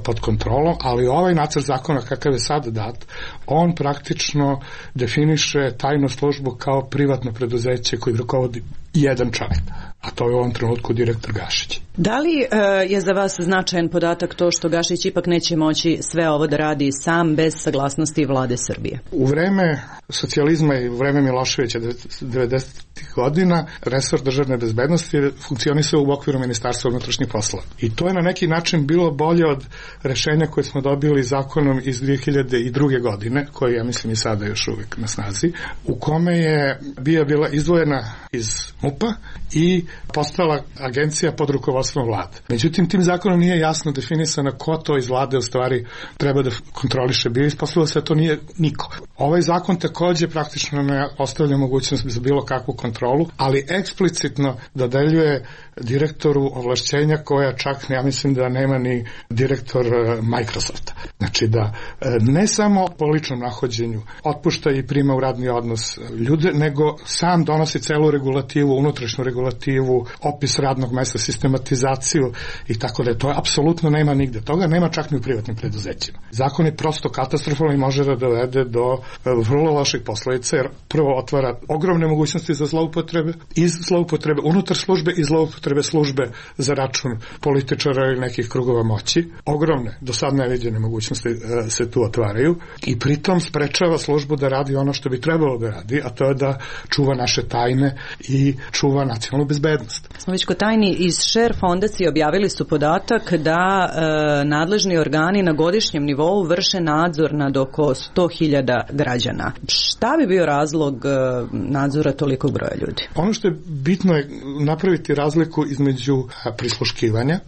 pod kontrolom, ali ovaj nacrt zakona kakav je sad dat, on praktično definiše tajnu službu kao privatno preduzeće koji rukovodi jedan čovjek, a to je u ovom trenutku direktor Gašić. Da li e, je za vas značajan podatak to što Gašić ipak neće moći sve ovo da radi sam bez saglasnosti vlade Srbije? U vreme socijalizma i u vreme Miloševića devedesetih godina resor državne bezbednosti funkcionisao u okviru Ministarstva unutrašnjih poslova. I to je na neki način bilo bolje od rešenja koje smo dobili zakonom iz dve hiljade druge. godine, koji ja mislim i sada još uvijek na snazi, u kome je bija bila izdvojena iz MUP-a i postala agencija pod rukovodstvom vlade. Međutim, tim zakonom nije jasno definisano ko to iz vlade u stvari treba da kontroliše. Bio ispostavilo se da to nije niko. Ovaj zakon također praktično ne ostavlja mogućnost za bilo kakvu kontrolu, ali eksplicitno dodeljuje direktoru ovlašćenja koja čak, ja mislim da nema ni direktor Microsofta. Znači da ne samo po ličnom nahođenju otpušta i prima u radni odnos ljude, nego sam donosi celu regulativu, unutrašnju regulativu, opis radnog mesta, sistematizaciju i tako da to je apsolutno nema nigde. Toga nema čak ni u privatnim preduzećima. Zakon je prosto katastrofalan i može da dovede do vrlo loših posledica, jer prvo otvara ogromne mogućnosti za zloupotrebe, iz zloupotrebe unutar službe i zloupotrebe službe za račun političara ili nekih krugova moći. Ogromne, do sad neviđene mogućnosti se tu otvaraju i pritom sprečava službu da radi ono što bi trebalo da radi, a to je da čuva naše tajne i čuva nacionalnu bezbednost. Smo već kod tajni, iz Share fondacije objavili su podatak da e, nadležni organi na godišnjem nivou vrše nadzor nad oko sto hiljada građana. Šta bi bio razlog e, nadzora tolikog broja ljudi? Ono što je bitno je napraviti razliku između prisluškivanja,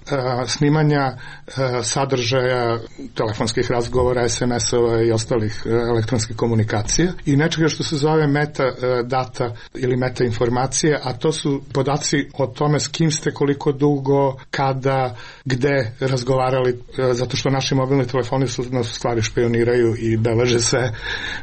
snimanja sadržaja telefonskih razgovora, es em es-ova i ostalih elektronskih komunikacija i nečega što se zove meta data ili meta informacije, a to su podaci o tome s kim ste, koliko dugo, kada, gde razgovarali, zato što naši mobilni telefoni su nas stvari špioniraju i beleže se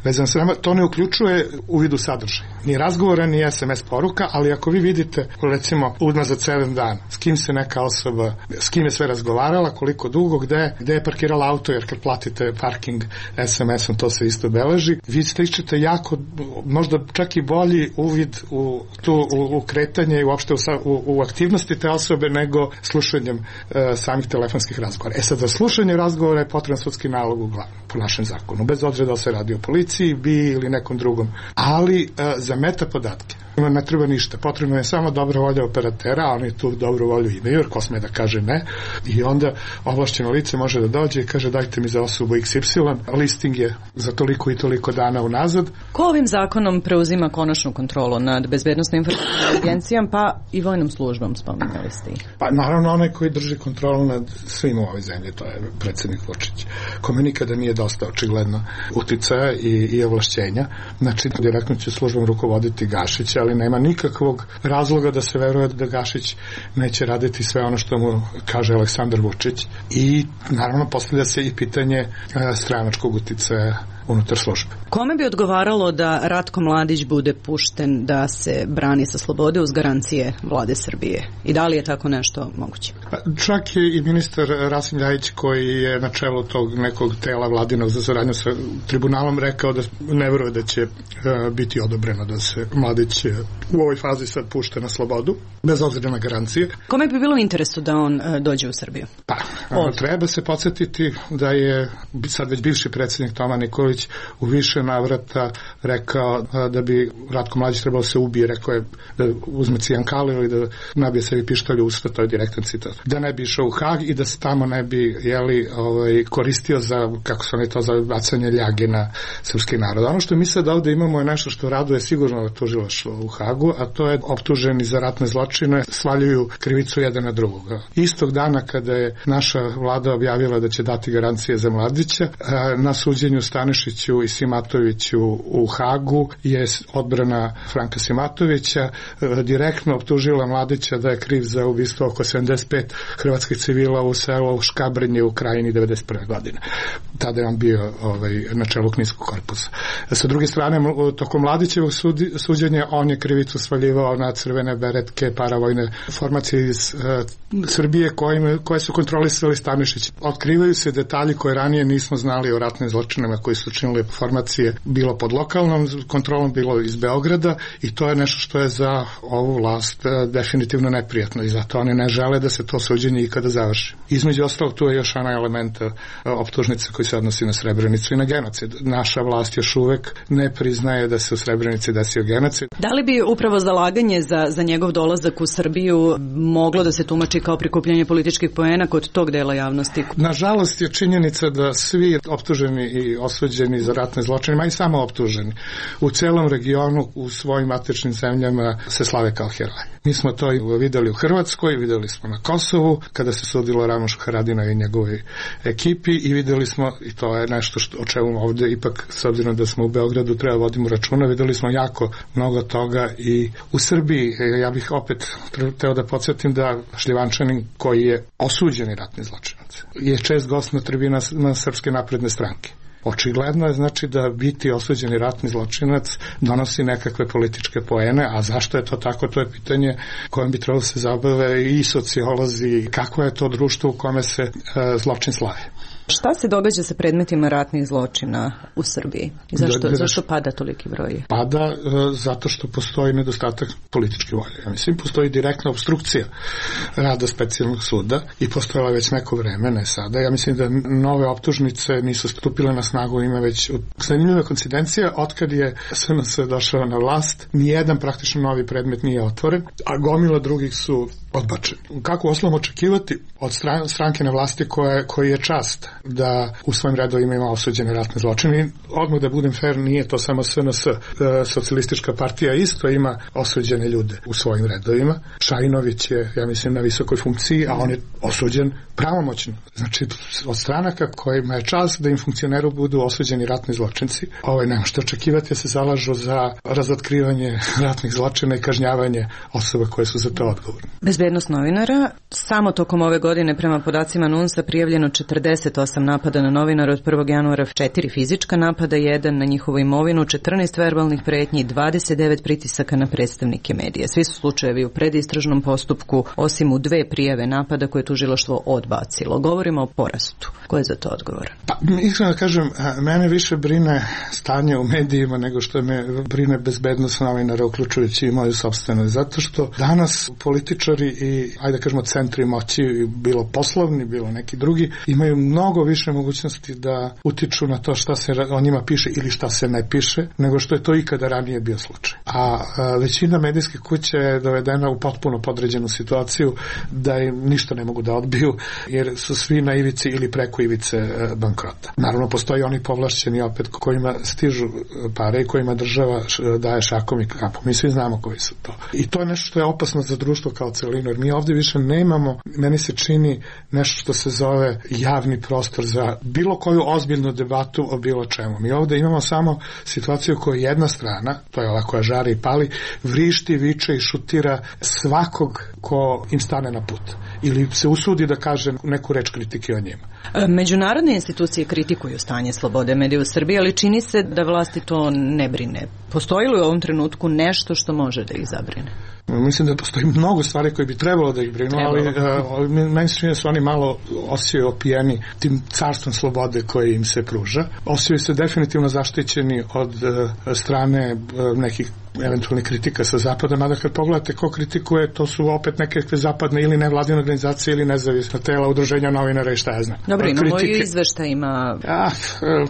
vezano sa nama. To ne uključuje uvid u sadržaj. Ni razgovora, ni es em es poruka, ali ako vi vidite, recimo, unazad sedam dan, s kim se neka osoba, s kim je sve razgovarala, koliko dugo, gde, gde je parkirala auto, jer kad platite parking es em esom, to se isto beleži. Vi stičete jako, možda čak i bolji uvid u, tu, u, u kretanje i uopšte u, u, u aktivnosti te osobe nego slušanjem e, samih telefonskih razgovora. E sad, za slušanje razgovora je potreban sudski nalog uglavnom, po našem zakonu, bez obzira da se radi o policiji, bi ili nekom drugom. Ali e, za meta podatke ne treba ništa, potrebno je samo dobra volja operatera, a oni tu dobru volju imaju, jer ko sme da kaže ne, i onda ovlašćeno lice može da dođe i kaže dajte mi za osobu iks ipsilon, listing je za toliko i toliko dana unazad. Ko ovim zakonom preuzima konačnu kontrolu nad bezbednosnom informacijom agencijom, pa i vojnom službom, spominjali ste ih? Pa naravno onaj koji drži kontrolu nad svim u ovoj zemlji, to je predsjednik Vučić, kome nikada nije dosta očigledno uticaja i, i ovlašćenja, znači direktno će službom rukovoditi Gašić, ali nema nikakvog razloga da se veruje da Gašić neće raditi sve ono što mu kaže Aleksandar Vučić i naravno postavlja se i pitanje stranačkog uticaja unutar službe. Kome bi odgovaralo da Ratko Mladić bude pušten da se brani sa slobode uz garancije vlade Srbije? I da li je tako nešto moguće? Čak je i ministar Rasim Ljajić, koji je na čelu tog nekog tela vladinog za saradnju sa tribunalom, rekao da ne veruje da će biti odobreno da se Mladić u ovoj fazi sad pušta na slobodu, bez obzira na garancije. Kome bi bilo u interesu da on dođe u Srbiju? Pa, Od. treba se podsjetiti da je sad već bivši predsjednik Toma Nikolić u više navrata rekao da bi Ratko Mladić trebao se ubije, rekao je da uzme cijankaliju i da nabije sebi pištolj u usta, to je direktan citat. Da ne bi išao u Hag i da se tamo ne bi jeli, ovaj, koristio za, kako su oni to, za bacanje ljage na srpski narod. Ono što mi sad ovde imamo je nešto što raduje sigurno tužilaštvo u Hagu, a to je optuženi za ratne zločine svaljuju krivicu jedan na drugoga. Istog dana kada je naša vlada objavila da će dati garancije za Mladića, na suđenju Stanišiću i Simatoviću u Hagu je odbrana Franka Simatovića direktno optužila Mladića da je kriv za ubistvo oko sedamdeset pet hrvatskih civila u selu Škabrnje u Krajini devedeset prve godine. Tada je on bio ovaj, na čelu Kninskog korpusa. Sa druge strane, tokom Mladićevog suđenja on je krivicu svaljivao na crvene beretke, paravojne formacije iz uh, Srbije koje, koje su kontrolisali Stanišić. Otkrivaju se detalji koje ranije nismo znali o ratnim zločinama koji su činili formacije, bilo pod lokalnom kontrolom, bilo iz Beograda, i to je nešto što je za ovu vlast uh, definitivno neprijatno i zato oni ne žele da se to suđenje ikada završi. Između ostalog, tu je još ona elementa uh, optužnice koji se odnosi na Srebrenicu i na genocid. Naša vlast još uvek ne priznaje da se u Srebrenici desio genocid. Da li bi upravo zalaganje za, za njegov dolazak u Srbiju moglo da se tumači kao prikupljanje političkih poena kod tog dela javnosti? Nažalost je činjenica da svi optuženi i osuđeni za ratne zločine, ma i samo optuženi, u celom regionu, u svojim matičnim zemljama se slave kao heroji. Mi smo to videli u Hrvatskoj, videli smo na Kosovu, kada se sudilo Ramošu Haradinaju i njegovoj ekipi, i videli smo, i to je nešto što, o čemu ovde ipak, s obzirom da smo u Beogradu, treba vodimo računa, videli smo jako mnogo toga i u Srbiji. Ja bih opet teo da podsjetim da Šljivančanin, koji je osuđeni ratni zločinac, je čest gost na tribina na Srpske napredne stranke. Očigledno je znači da biti osuđeni ratni zločinac donosi nekakve političke poene, a zašto je to tako, to je pitanje kojem bi trebalo se zabave i sociolozi, kako je to društvo u kome se e, zločin slavi. Šta se događa sa predmetima ratnih zločina u Srbiji? I zašto, da, da, zašto pada toliki broj? Pada e, zato što postoji nedostatak političke volje. Ja mislim, postoji direktna obstrukcija rada specijalnog suda i postojala već neko vreme, ne sada. Ja mislim da nove optužnice nisu stupile na snagu, ima već zanimljiva koincidencija, otkad je S N S došao na vlast, nijedan praktično novi predmet nije otvoren, a gomila drugih su odbačeni. Kako osnovom očekivati od stran, stranke na vlasti koje, koji je čast da u svojim redovima ima osuđene ratne zločine? Odmah da budem fair, nije to samo S N S. Socijalistička partija isto ima osuđene ljude u svojim redovima. Šajinović je, ja mislim, na visokoj funkciji, a on je osuđen pravomoćno. Znači, od stranaka kojima je čast da im funkcioneru budu osuđeni ratni zločinci, ovaj, nema što očekivati, da se zalažu za razotkrivanje ratnih zločina i kažnjavanje osoba koje su za to odgovorne. Bezbednost novinara. Samo tokom ove godine prema podacima NUNS-a prijavljeno četrdeset osam napada na novinara od prvog januara, četiri fizička napada, jedan na njihovu imovinu, četrnaest verbalnih pretnji, dvadeset devet pritisaka na predstavnike medija. Svi su slučajevi u predistražnom postupku, osim u dve prijave napada koje je tužilaštvo odbacilo. Govorimo o porastu. Ko je za to odgovoran? Pa, iskreno da kažem, mene više brine stanje u medijima nego što me brine bezbednost novinara, uključujući i moju sopstvenu. Zato što danas političari i, ajde da kažemo, centri moći, bilo poslovni, bilo neki drugi, imaju mnogo više mogućnosti da utiču na to šta se o njima piše ili šta se ne piše, nego što je to ikada ranije bio slučaj. A, a većina medijskih kuća je dovedena u potpuno podređenu situaciju da im ništa ne mogu da odbiju, jer su svi na ivici ili preko ivice bankrota. Naravno, postoji oni povlašćeni opet kojima stižu pare i kojima država daje šakom i kapom. Mi svi znamo koji su to. I to je nešto što je opasno za društvo kao celinu. novinar. Mi ovde više nemamo, meni se čini nešto što se zove javni prostor za bilo koju ozbiljnu debatu o bilo čemu. Mi ovde imamo samo situaciju koja jedna strana, to je ova koja žari i pali, vrišti, viče i šutira svakog ko im stane na put. Ili se usudi da kaže neku reč kritike o njima. Međunarodne institucije kritikuju stanje slobode medija u Srbiji, ali čini se da vlasti to ne brine. Postoji li u ovom trenutku nešto što može da ih zabrine? Mislim da postoji mnogo stvari koje bi trebalo da ih brinu, ali uh, meni se čini da su oni malo osjećaju opijeni tim carstvom slobode koje im se pruža. Osjećaju se definitivno zaštićeni od uh, strane uh, nekih eventualnih kritika sa zapada, mada kad pogledate ko kritikuje, to su opet neke zapadne ili nevladine organizacije ili nezavisna tela, udruženja novinara i šta ja znam. Dobro, imamo i izveštajima. Ja,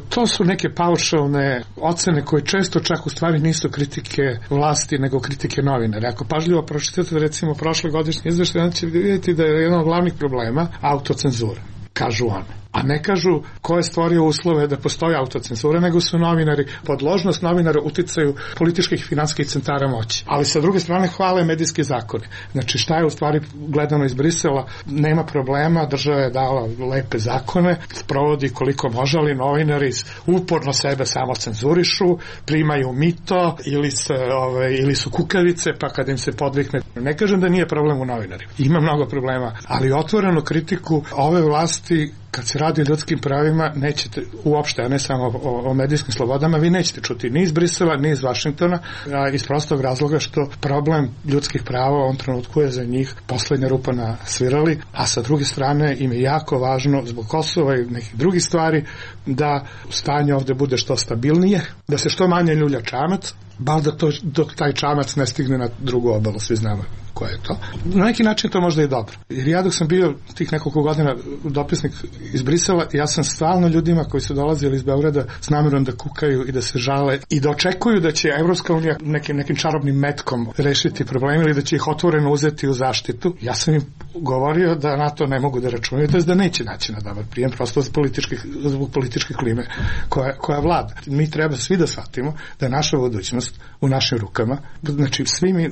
to su neke paušalne ocene koje često čak u stvari nisu kritike vlasti, nego kritike novinara. Ako pažljivo pročitate recimo prošle godišnje izveštaje, onda ćete vidjeti da je jedan od glavnih problema autocenzura, kažu one. A ne kažu ko je stvorio uslove da postoji autocenzura, nego su novinari, podložnost novinara uticaju političkih i finanskih centara moći. Ali sa druge strane hvale medijske zakone. Znači šta je u stvari gledano iz Brisela, nema problema, država je dala lepe zakone, sprovodi koliko može, ali novinari uporno sebe samo cenzurišu, primaju mito ili, se, ove, ili su kukavice, pa kad im se podvikne. Ne kažem da nije problem u novinarima. Ima mnogo problema, ali otvorenu kritiku ove vlasti kad se radi o ljudskim pravima, nećete uopšte, a ne samo o, o medijskim slobodama, vi nećete čuti ni iz Brisela, ni iz Vašingtona, a iz prostog razloga što problem ljudskih prava u ovom trenutku je za njih poslednja rupa na svirali, a sa druge strane im je jako važno zbog Kosova i nekih drugih stvari da stanje ovde bude što stabilnije, da se što manje ljulja čamac, bar da to, dok taj čamac ne stigne na drugu obalu, svi znamo ko je to. Na neki način to možda i dobro. Jer ja dok sam bio tih nekoliko godina dopisnik iz Brisela, ja sam stalno ljudima koji su dolazili iz Beograda s namerom da kukaju i da se žale i da očekuju da će Evropska unija nekim, nekim čarobnim metkom rešiti probleme ili da će ih otvoreno uzeti u zaštitu. Ja sam im govorio da na to ne mogu da računaju, to je da neće naći na dobar prijem, prosto zbog političke, zbog političke klime koja, koja vlada. Mi treba svi da shvatimo da je naša budućnost u našim rukama. Znači, svi mi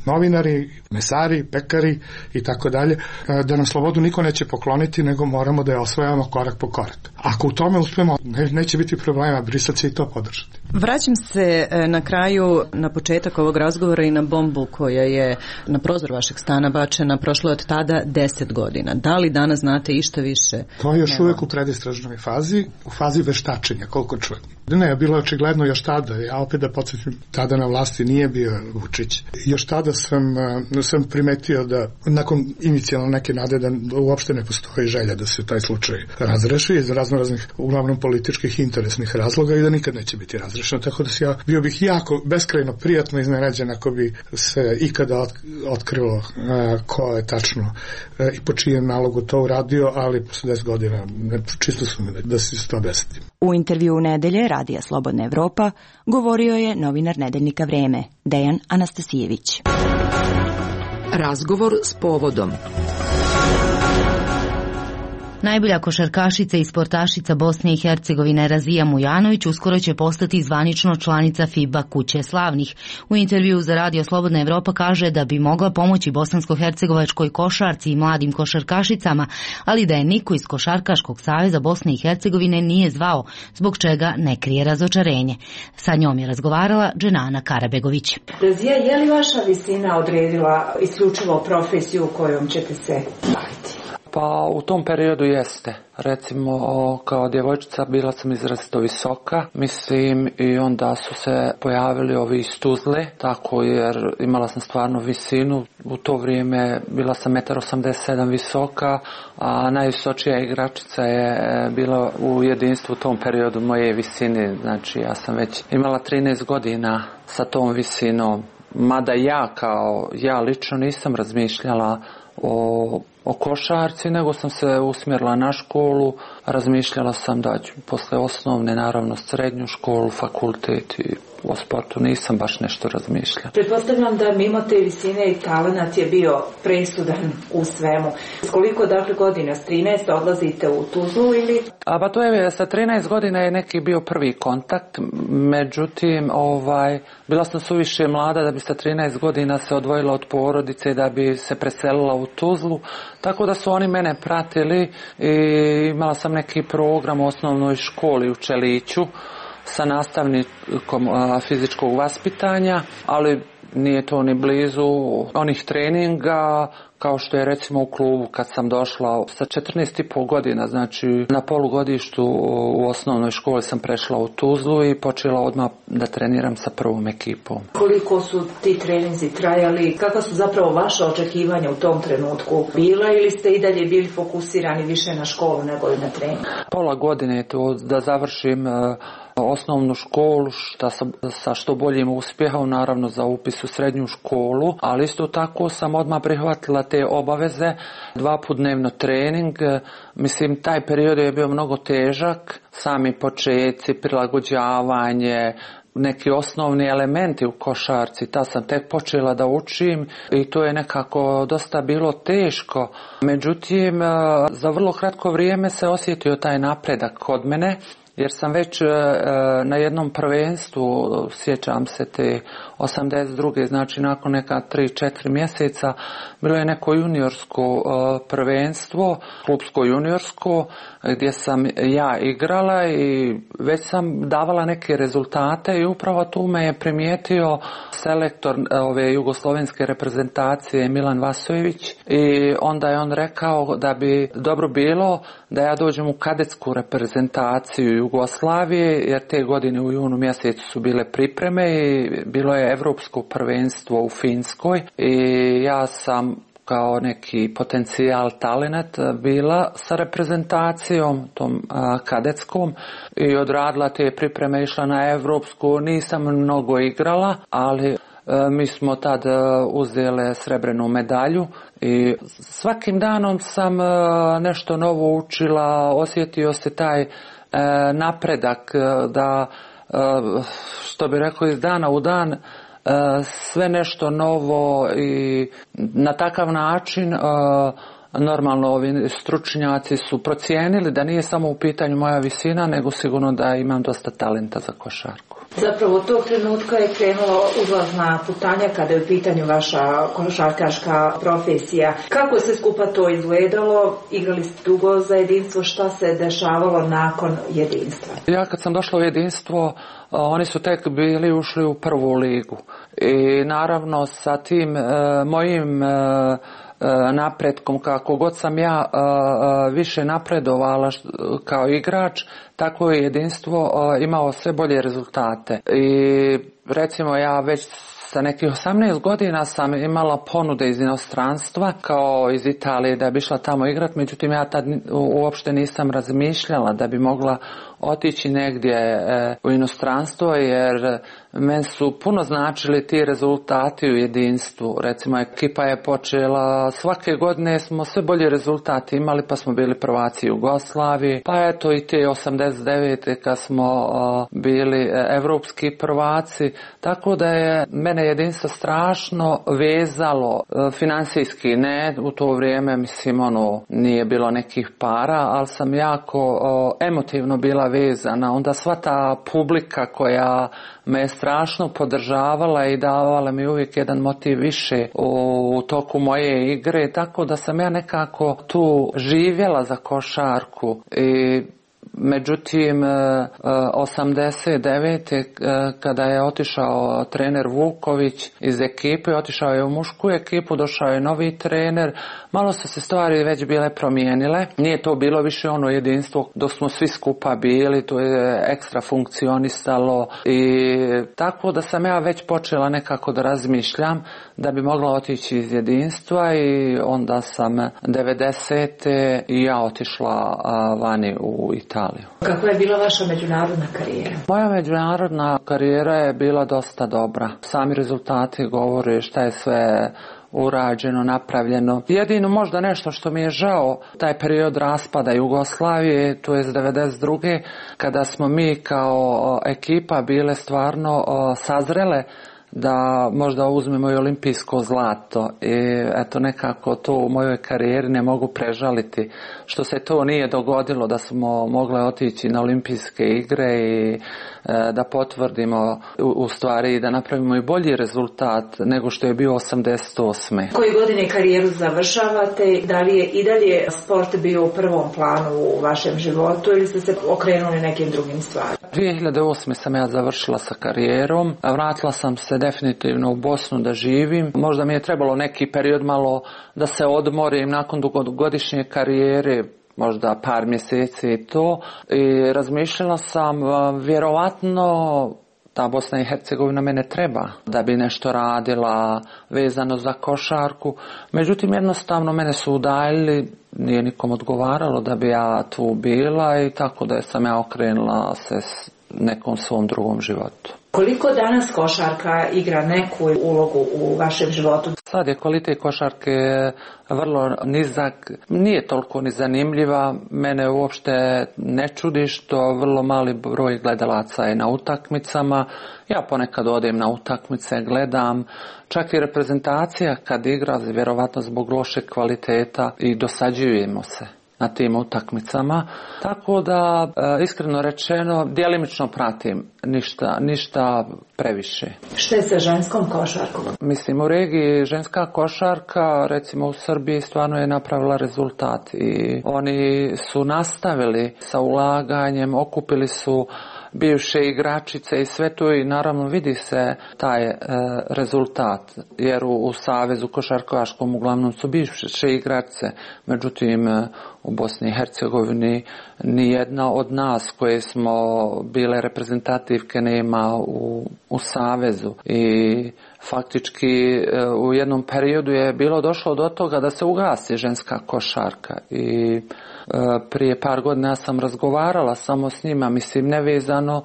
novinari, mesari, pekari i tako dalje, da nam slobodu niko neće pokloniti, nego moramo da je osvajamo korak po korak. Ako u tome uspemo, ne, neće biti problema, Brisel će i to podržati. Vraćam se na kraju na početak ovog razgovora i na bombu koja je na prozor vašeg stana bačena prošlo od tada deset godina. Da li danas znate išta više? To je još Nema. uvijek u predistražnoj fazi, u fazi veštačenja, koliko čujem. Ne, bilo je očigledno još tada, ja opet da podsjetim, tada na vlasti nije bio Vučić. Još tada sam, sam primetio da nakon inicijalno neke nade da uopšte ne postoji želja da se taj slučaj razreši iz razno raznih, uglavnom političkih interesnih razloga i da nikad neće biti razrešeno. Tako da ja bio bih jako beskrajno prijatno iznenađen ako bi se ikada otkrilo a, ko je tačno a, i po čijem nalogu to uradio, ali posle deset godina ne, čisto sumnjam da se to desiti. U intervju u nedelje Radija Slobodna Evropa govorio je novinar nedeljnika Vreme, Dejan Anastasijević. Razgovor s povodom. Najbolja košarkašica i sportašica Bosne i Hercegovine Razija Mujanović uskoro će postati zvanično članica FIBA kuće slavnih. U intervju za Radio Slobodna Evropa kaže da bi mogla pomoći bosansko-hercegovačkoj košarci i mladim košarkašicama, ali da je niko iz Košarkaškog saveza Bosne i Hercegovine nije zvao, zbog čega ne krije razočarenje. Sa njom je razgovarala Dženana Karabegović. Razija, je li vaša visina odredila isključivo profesiju kojom ćete se baviti? Pa u tom periodu jeste. Recimo, kao djevojčica bila sam izrazito visoka, mislim, i onda su se pojavili ovi iz Tuzle, tako jer imala sam stvarno visinu. U to vrijeme bila sam jedan osamdeset sedam visoka, a najvisočija igračica je bila u jedinstvu u tom periodu moje visine. Znači, ja sam već imala trinaest godina sa tom visinom, mada ja kao, ja lično nisam razmišljala o o košarci, nego sam se usmjerila na školu, razmišljala sam da ću posle osnovne, naravno srednju školu, fakultet i o sportu nisam baš nešto razmišljala. Pretpostavljam da mimo te visine i talenat je bio presudan u svemu. S koliko dakle godina, s trinaest odlazite u Tuzlu ili? A pa to je, sa trinaest godina je neki bio prvi kontakt, međutim, ovaj, bila sam suviše mlada da bi sa trinaest godina se odvojila od porodice, da bi se preselila u Tuzlu, tako da su oni mene pratili i imala sam neki program u osnovnoj školi u Čeliću sa nastavnikom fizičkog vaspitanja, ali nije to ni blizu onih treninga kao što je recimo u klubu kad sam došla sa četrnaest i pol godina, znači na polugodištu u osnovnoj školi sam prešla u Tuzlu i počela odmah da treniram sa prvom ekipom. Koliko su ti treninzi trajali, kakva su zapravo vaše očekivanja u tom trenutku bila ili ste i dalje bili fokusirani više na školu nego i na trening? Pola godine je to da završim osnovnu školu šta sa, sa što boljim uspjehom, naravno za upis u srednju školu, ali isto tako sam odmah prihvatila te obaveze, dva put dnevno trening. Mislim, taj period je bio mnogo težak, sami početci, prilagođavanje, neki osnovni elementi u košarci, ta sam tek počela da učim i to je nekako dosta bilo teško. Međutim, za vrlo kratko vrijeme se osjetio taj napredak kod mene, jer sam već na jednom prvenstvu, sjećam se te osamdeset druge, znači nakon neka tri četiri mjeseca, bilo je neko juniorsko prvenstvo, klubsko juniorsko, gdje sam ja igrala i već sam davala neke rezultate i upravo tu me je primijetio selektor ove jugoslovenske reprezentacije Milan Vasojević i onda je on rekao da bi dobro bilo da ja dođem u kadetsku reprezentaciju Jugoslavije, jer te godine u junu mjesecu su bile pripreme i bilo je evropsko prvenstvo u Finskoj i ja sam kao neki potencijal talenat bila sa reprezentacijom tom a, kadetskom i odradila te pripreme, išla na evropsku, nisam mnogo igrala, ali a, mi smo tad uzele srebrnu medalju i svakim danom sam a, nešto novo učila, osjetio se taj a, napredak da, a, što bi rekao, iz dana u dan sve nešto novo i na takav način normalno ovi stručnjaci su procijenili da nije samo u pitanju moja visina, nego sigurno da imam dosta talenta za košarku. Zapravo tog trenutka je krenula uzlazna putanja kada je u pitanju vaša košarkaška profesija. Kako je sve skupa to izgledalo? Igrali ste dugo za jedinstvo, šta se dešavalo nakon jedinstva? Ja kad sam došla u jedinstvo, oni su tek bili ušli u prvu ligu i naravno sa tim e, mojim e, napretkom, kako god sam ja e, više napredovala kao igrač, tako je jedinstvo e, imao sve bolje rezultate i recimo ja već sa nekih osamnaest godina sam imala ponude iz inostranstva, kao iz Italije, da bi išla tamo igrat, međutim ja tad uopšte nisam razmišljala da bi mogla otići negdje e, u inostranstvo, jer meni su puno značili ti rezultati u jedinstvu. Recimo, ekipa je počela, svake godine smo sve bolje rezultati imali, pa smo bili prvaci Jugoslavije, pa eto i te osamdeset devete kad smo o, bili evropski prvaci, tako da je mene jedinstvo strašno vezalo, e, finansijski ne, u to vrijeme mislim ono nije bilo nekih para, ali sam jako o, emotivno bila vezana, onda sva ta publika koja me je strašno podržavala i davala mi uvijek jedan motiv više u toku moje igre, tako da sam ja nekako tu živjela za košarku i međutim osamdeset devete kada je otišao trener Vuković iz ekipe, otišao je u mušku ekipu, došao je novi trener, malo su se stvari već bile promijenile, nije to bilo više ono jedinstvo dok smo svi skupa bili, to je ekstra funkcionisalo i tako da sam ja već počela nekako da razmišljam da bi mogla otići iz jedinstva i onda sam devedesete i ja otišla vani u Italiju. Kakva je bila vaša međunarodna karijera? Moja međunarodna karijera je bila dosta dobra. Sami rezultati govore šta je sve urađeno, napravljeno. Jedino možda nešto što mi je žao, taj period raspada Jugoslavije, to je devedeset druge kada smo mi kao ekipa bile stvarno sazrele da možda uzmemo i olimpijsko zlato i eto nekako to u mojoj karijeri ne mogu prežaliti što se to nije dogodilo, da smo mogle otići na olimpijske igre i e, da potvrdimo u, u stvari i da napravimo i bolji rezultat nego što je bio osamdeset osme. Koje godine karijeru završavate? Da li je i dalje sport bio u prvom planu u vašem životu ili ste se okrenuli nekim drugim stvarima? dvije hiljade osme sam ja završila sa karijerom, a vratila sam se definitivno u Bosnu da živim. Možda mi je trebalo neki period malo da se odmorim nakon dugogodišnje karijere, možda par mjeseci i to. I razmišljala sam, vjerovatno ta Bosna i Hercegovina mene treba da bi nešto radila vezano za košarku. Međutim, jednostavno mene su udaljili, nije nikom odgovaralo da bi ja tu bila i tako da sam ja okrenula se s nekom svom drugom životu. Koliko danas košarka igra neku ulogu u vašem životu? Sad je kvalitet košarke vrlo nizak, nije toliko ni zanimljiva, mene uopšte ne čudi što vrlo mali broj gledalaca je na utakmicama, ja ponekad odem na utakmice, gledam, čak i reprezentacija kad igra, vjerovatno zbog lošeg kvaliteta i dosađujemo se na tim utakmicama, tako da iskreno rečeno djelimično pratim, ništa, ništa previše. Što je sa ženskom košarkom? Mislim, u regiji ženska košarka, recimo u Srbiji, stvarno je napravila rezultat i oni su nastavili sa ulaganjem, okupili su bivše igračice i sve to i naravno vidi se taj e, rezultat, jer u, u Savezu košarkaškom uglavnom su bivše igračice, međutim u Bosni i Hercegovini nijedna od nas koje smo bile reprezentativke nema u, u Savezu i faktički u jednom periodu je bilo došlo do toga da se ugasi ženska košarka i prije par godina sam razgovarala samo s njima, mislim nevezano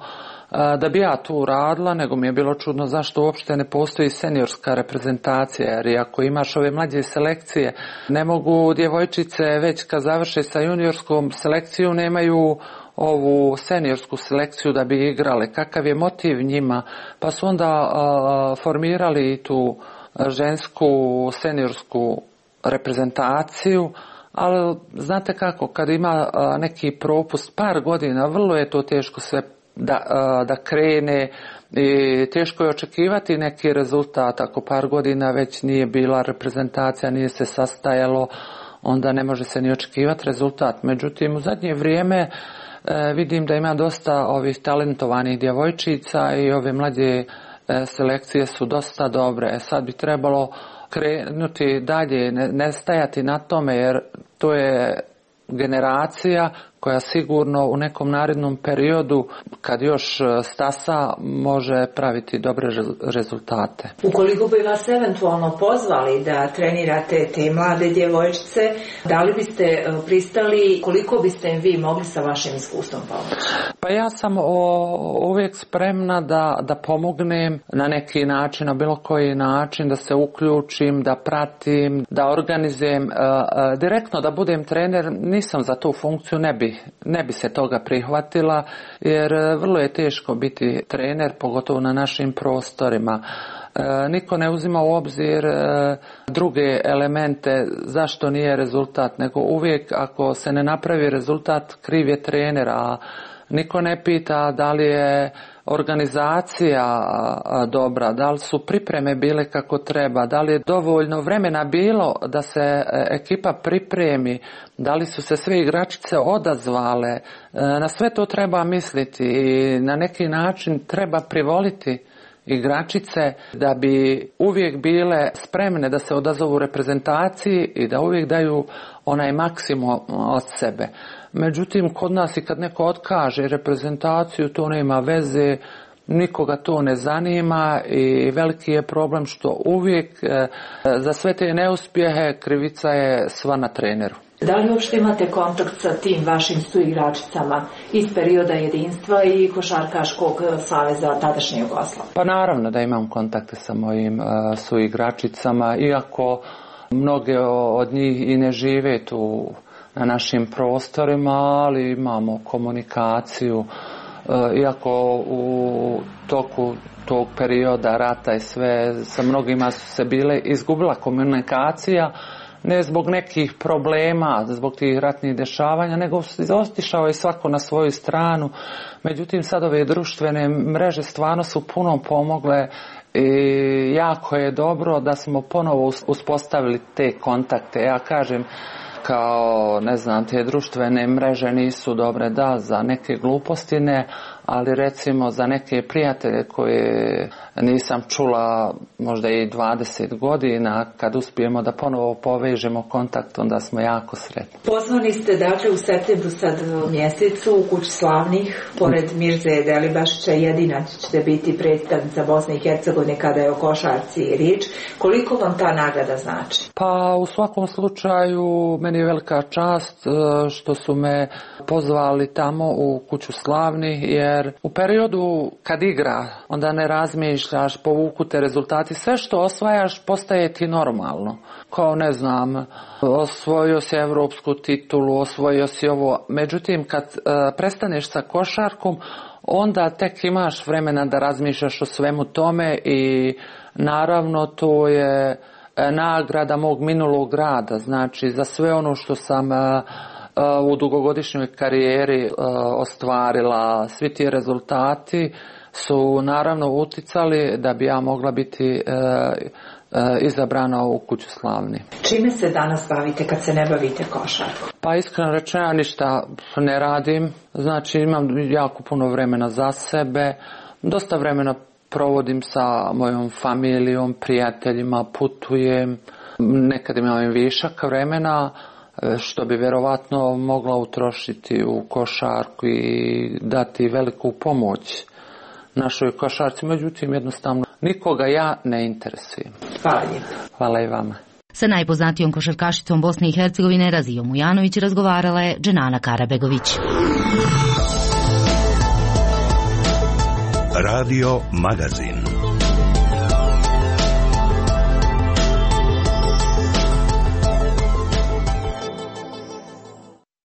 da bi ja tu radila, nego mi je bilo čudno zašto uopšte ne postoji seniorska reprezentacija, jer ako imaš ove mlađe selekcije, ne mogu djevojčice već kad završe sa juniorskom selekcijom, nemaju ovu seniorsku selekciju da bi igrale. Kakav je motiv njima? Pa su onda uh, formirali tu žensku seniorsku reprezentaciju, ali znate kako, kad ima uh, neki propust par godina, vrlo je to teško sve da, uh, da krene i teško je očekivati neki rezultat. Ako par godina već nije bila reprezentacija, nije se sastajalo, onda ne može se ni očekivati rezultat. Međutim, u zadnje vrijeme E, vidim da ima dosta ovih talentovanih djevojčica i ove mlađe e, selekcije su dosta dobre. E, sad bi trebalo krenuti dalje, ne, ne stajati na tome, jer to je generacija koja sigurno u nekom narednom periodu, kad još stasa, može praviti dobre rezultate. Ukoliko bi vas eventualno pozvali da trenirate te mlade djevojčice, da li biste pristali, koliko biste im vi mogli sa vašim iskustvom pomoći? Pa ja sam o, uvijek spremna da, da pomognem na neki način, na bilo koji način, da se uključim, da pratim, da organizujem, uh, uh, direktno da budem trener. Nisam za tu funkciju, ne bi ne bi se toga prihvatila, jer vrlo je teško biti trener, pogotovo na našim prostorima. E, niko ne uzima u obzir e, druge elemente zašto nije rezultat, nego uvijek ako se ne napravi rezultat, kriv je trener, a niko ne pita da li je organizacija dobra, da li su pripreme bile kako treba, da li je dovoljno vremena bilo da se ekipa pripremi, da li su se sve igračice odazvale. Na sve to treba misliti i na neki način treba privoliti igračice da bi uvijek bile spremne da se odazovu reprezentaciji i da uvijek daju onaj maksimum od sebe. Međutim, kod nas i kad neko otkaže reprezentaciju, to nema veze, nikoga to ne zanima i veliki je problem što uvijek za sve te neuspjehe krivica je sva na treneru. Da li uopšte imate kontakt sa tim vašim suigračicama iz perioda jedinstva i Košarkaškog saveza tadašnje Jugoslavije? Pa naravno da imam kontakte sa mojim uh, suigračicama, iako mnoge od njih i ne žive tu na našim prostorima, ali imamo komunikaciju. Uh, iako u toku tog perioda rata i sve, sa mnogima su se bile izgubila komunikacija, ne zbog nekih problema, zbog tih ratnih dešavanja, nego otišao je svako na svoju stranu. Međutim, sad ove društvene mreže stvarno su puno pomogle i jako je dobro da smo ponovo uspostavili te kontakte. Ja kažem, kao, ne znam, te društvene mreže nisu dobre, da, za neke gluposti ne, ali recimo za neke prijatelje koje nisam čula možda i dvadeset godina, kad uspijemo da ponovo povežemo kontakt, onda smo jako sretni. Pozvani ste dakle u septembru sad mjesecu u Kući slavnih, pored Mirze Delibašića, jedina ćete biti predstavnica Bosne i Hercegovine kada je o košarci riječ. Koliko vam ta nagrada znači? Pa u svakom slučaju meni je velika čast što su me pozvali tamo u Kuću slavnih, jer u periodu kad igra onda ne razmišljaš, povuku te rezultati, sve što osvajaš postaje ti normalno. Kao, ne znam, osvojio si evropsku titulu, osvojio si ovo. Međutim, kad uh, prestaneš sa košarkom, onda tek imaš vremena da razmišljaš o svemu tome i naravno to je nagrada mog minulog rada. Znači, za sve ono što sam uh, u dugogodišnjoj karijeri uh, ostvarila, svi ti rezultati su naravno uticali da bi ja mogla biti uh, uh, izabrana u Kuću slavnih. Čime se danas bavite kad se ne bavite košarkom? Pa iskreno rečeno, ja ništa ne radim. Znači, imam jako puno vremena za sebe, dosta vremena provodim sa mojom familijom, prijateljima, putujem, nekad imam višak vremena, što bi vjerovatno mogla utrošiti u košarku i dati veliku pomoć našoj košarci. Međutim, jednostavno nikoga ja ne interesujem. Hvala. Hvala i vama. Sa najpoznatijom košarkašicom Bosne i Hercegovine Razijom Mujanović razgovarala je Dženana Karabegović. Radio Magazin.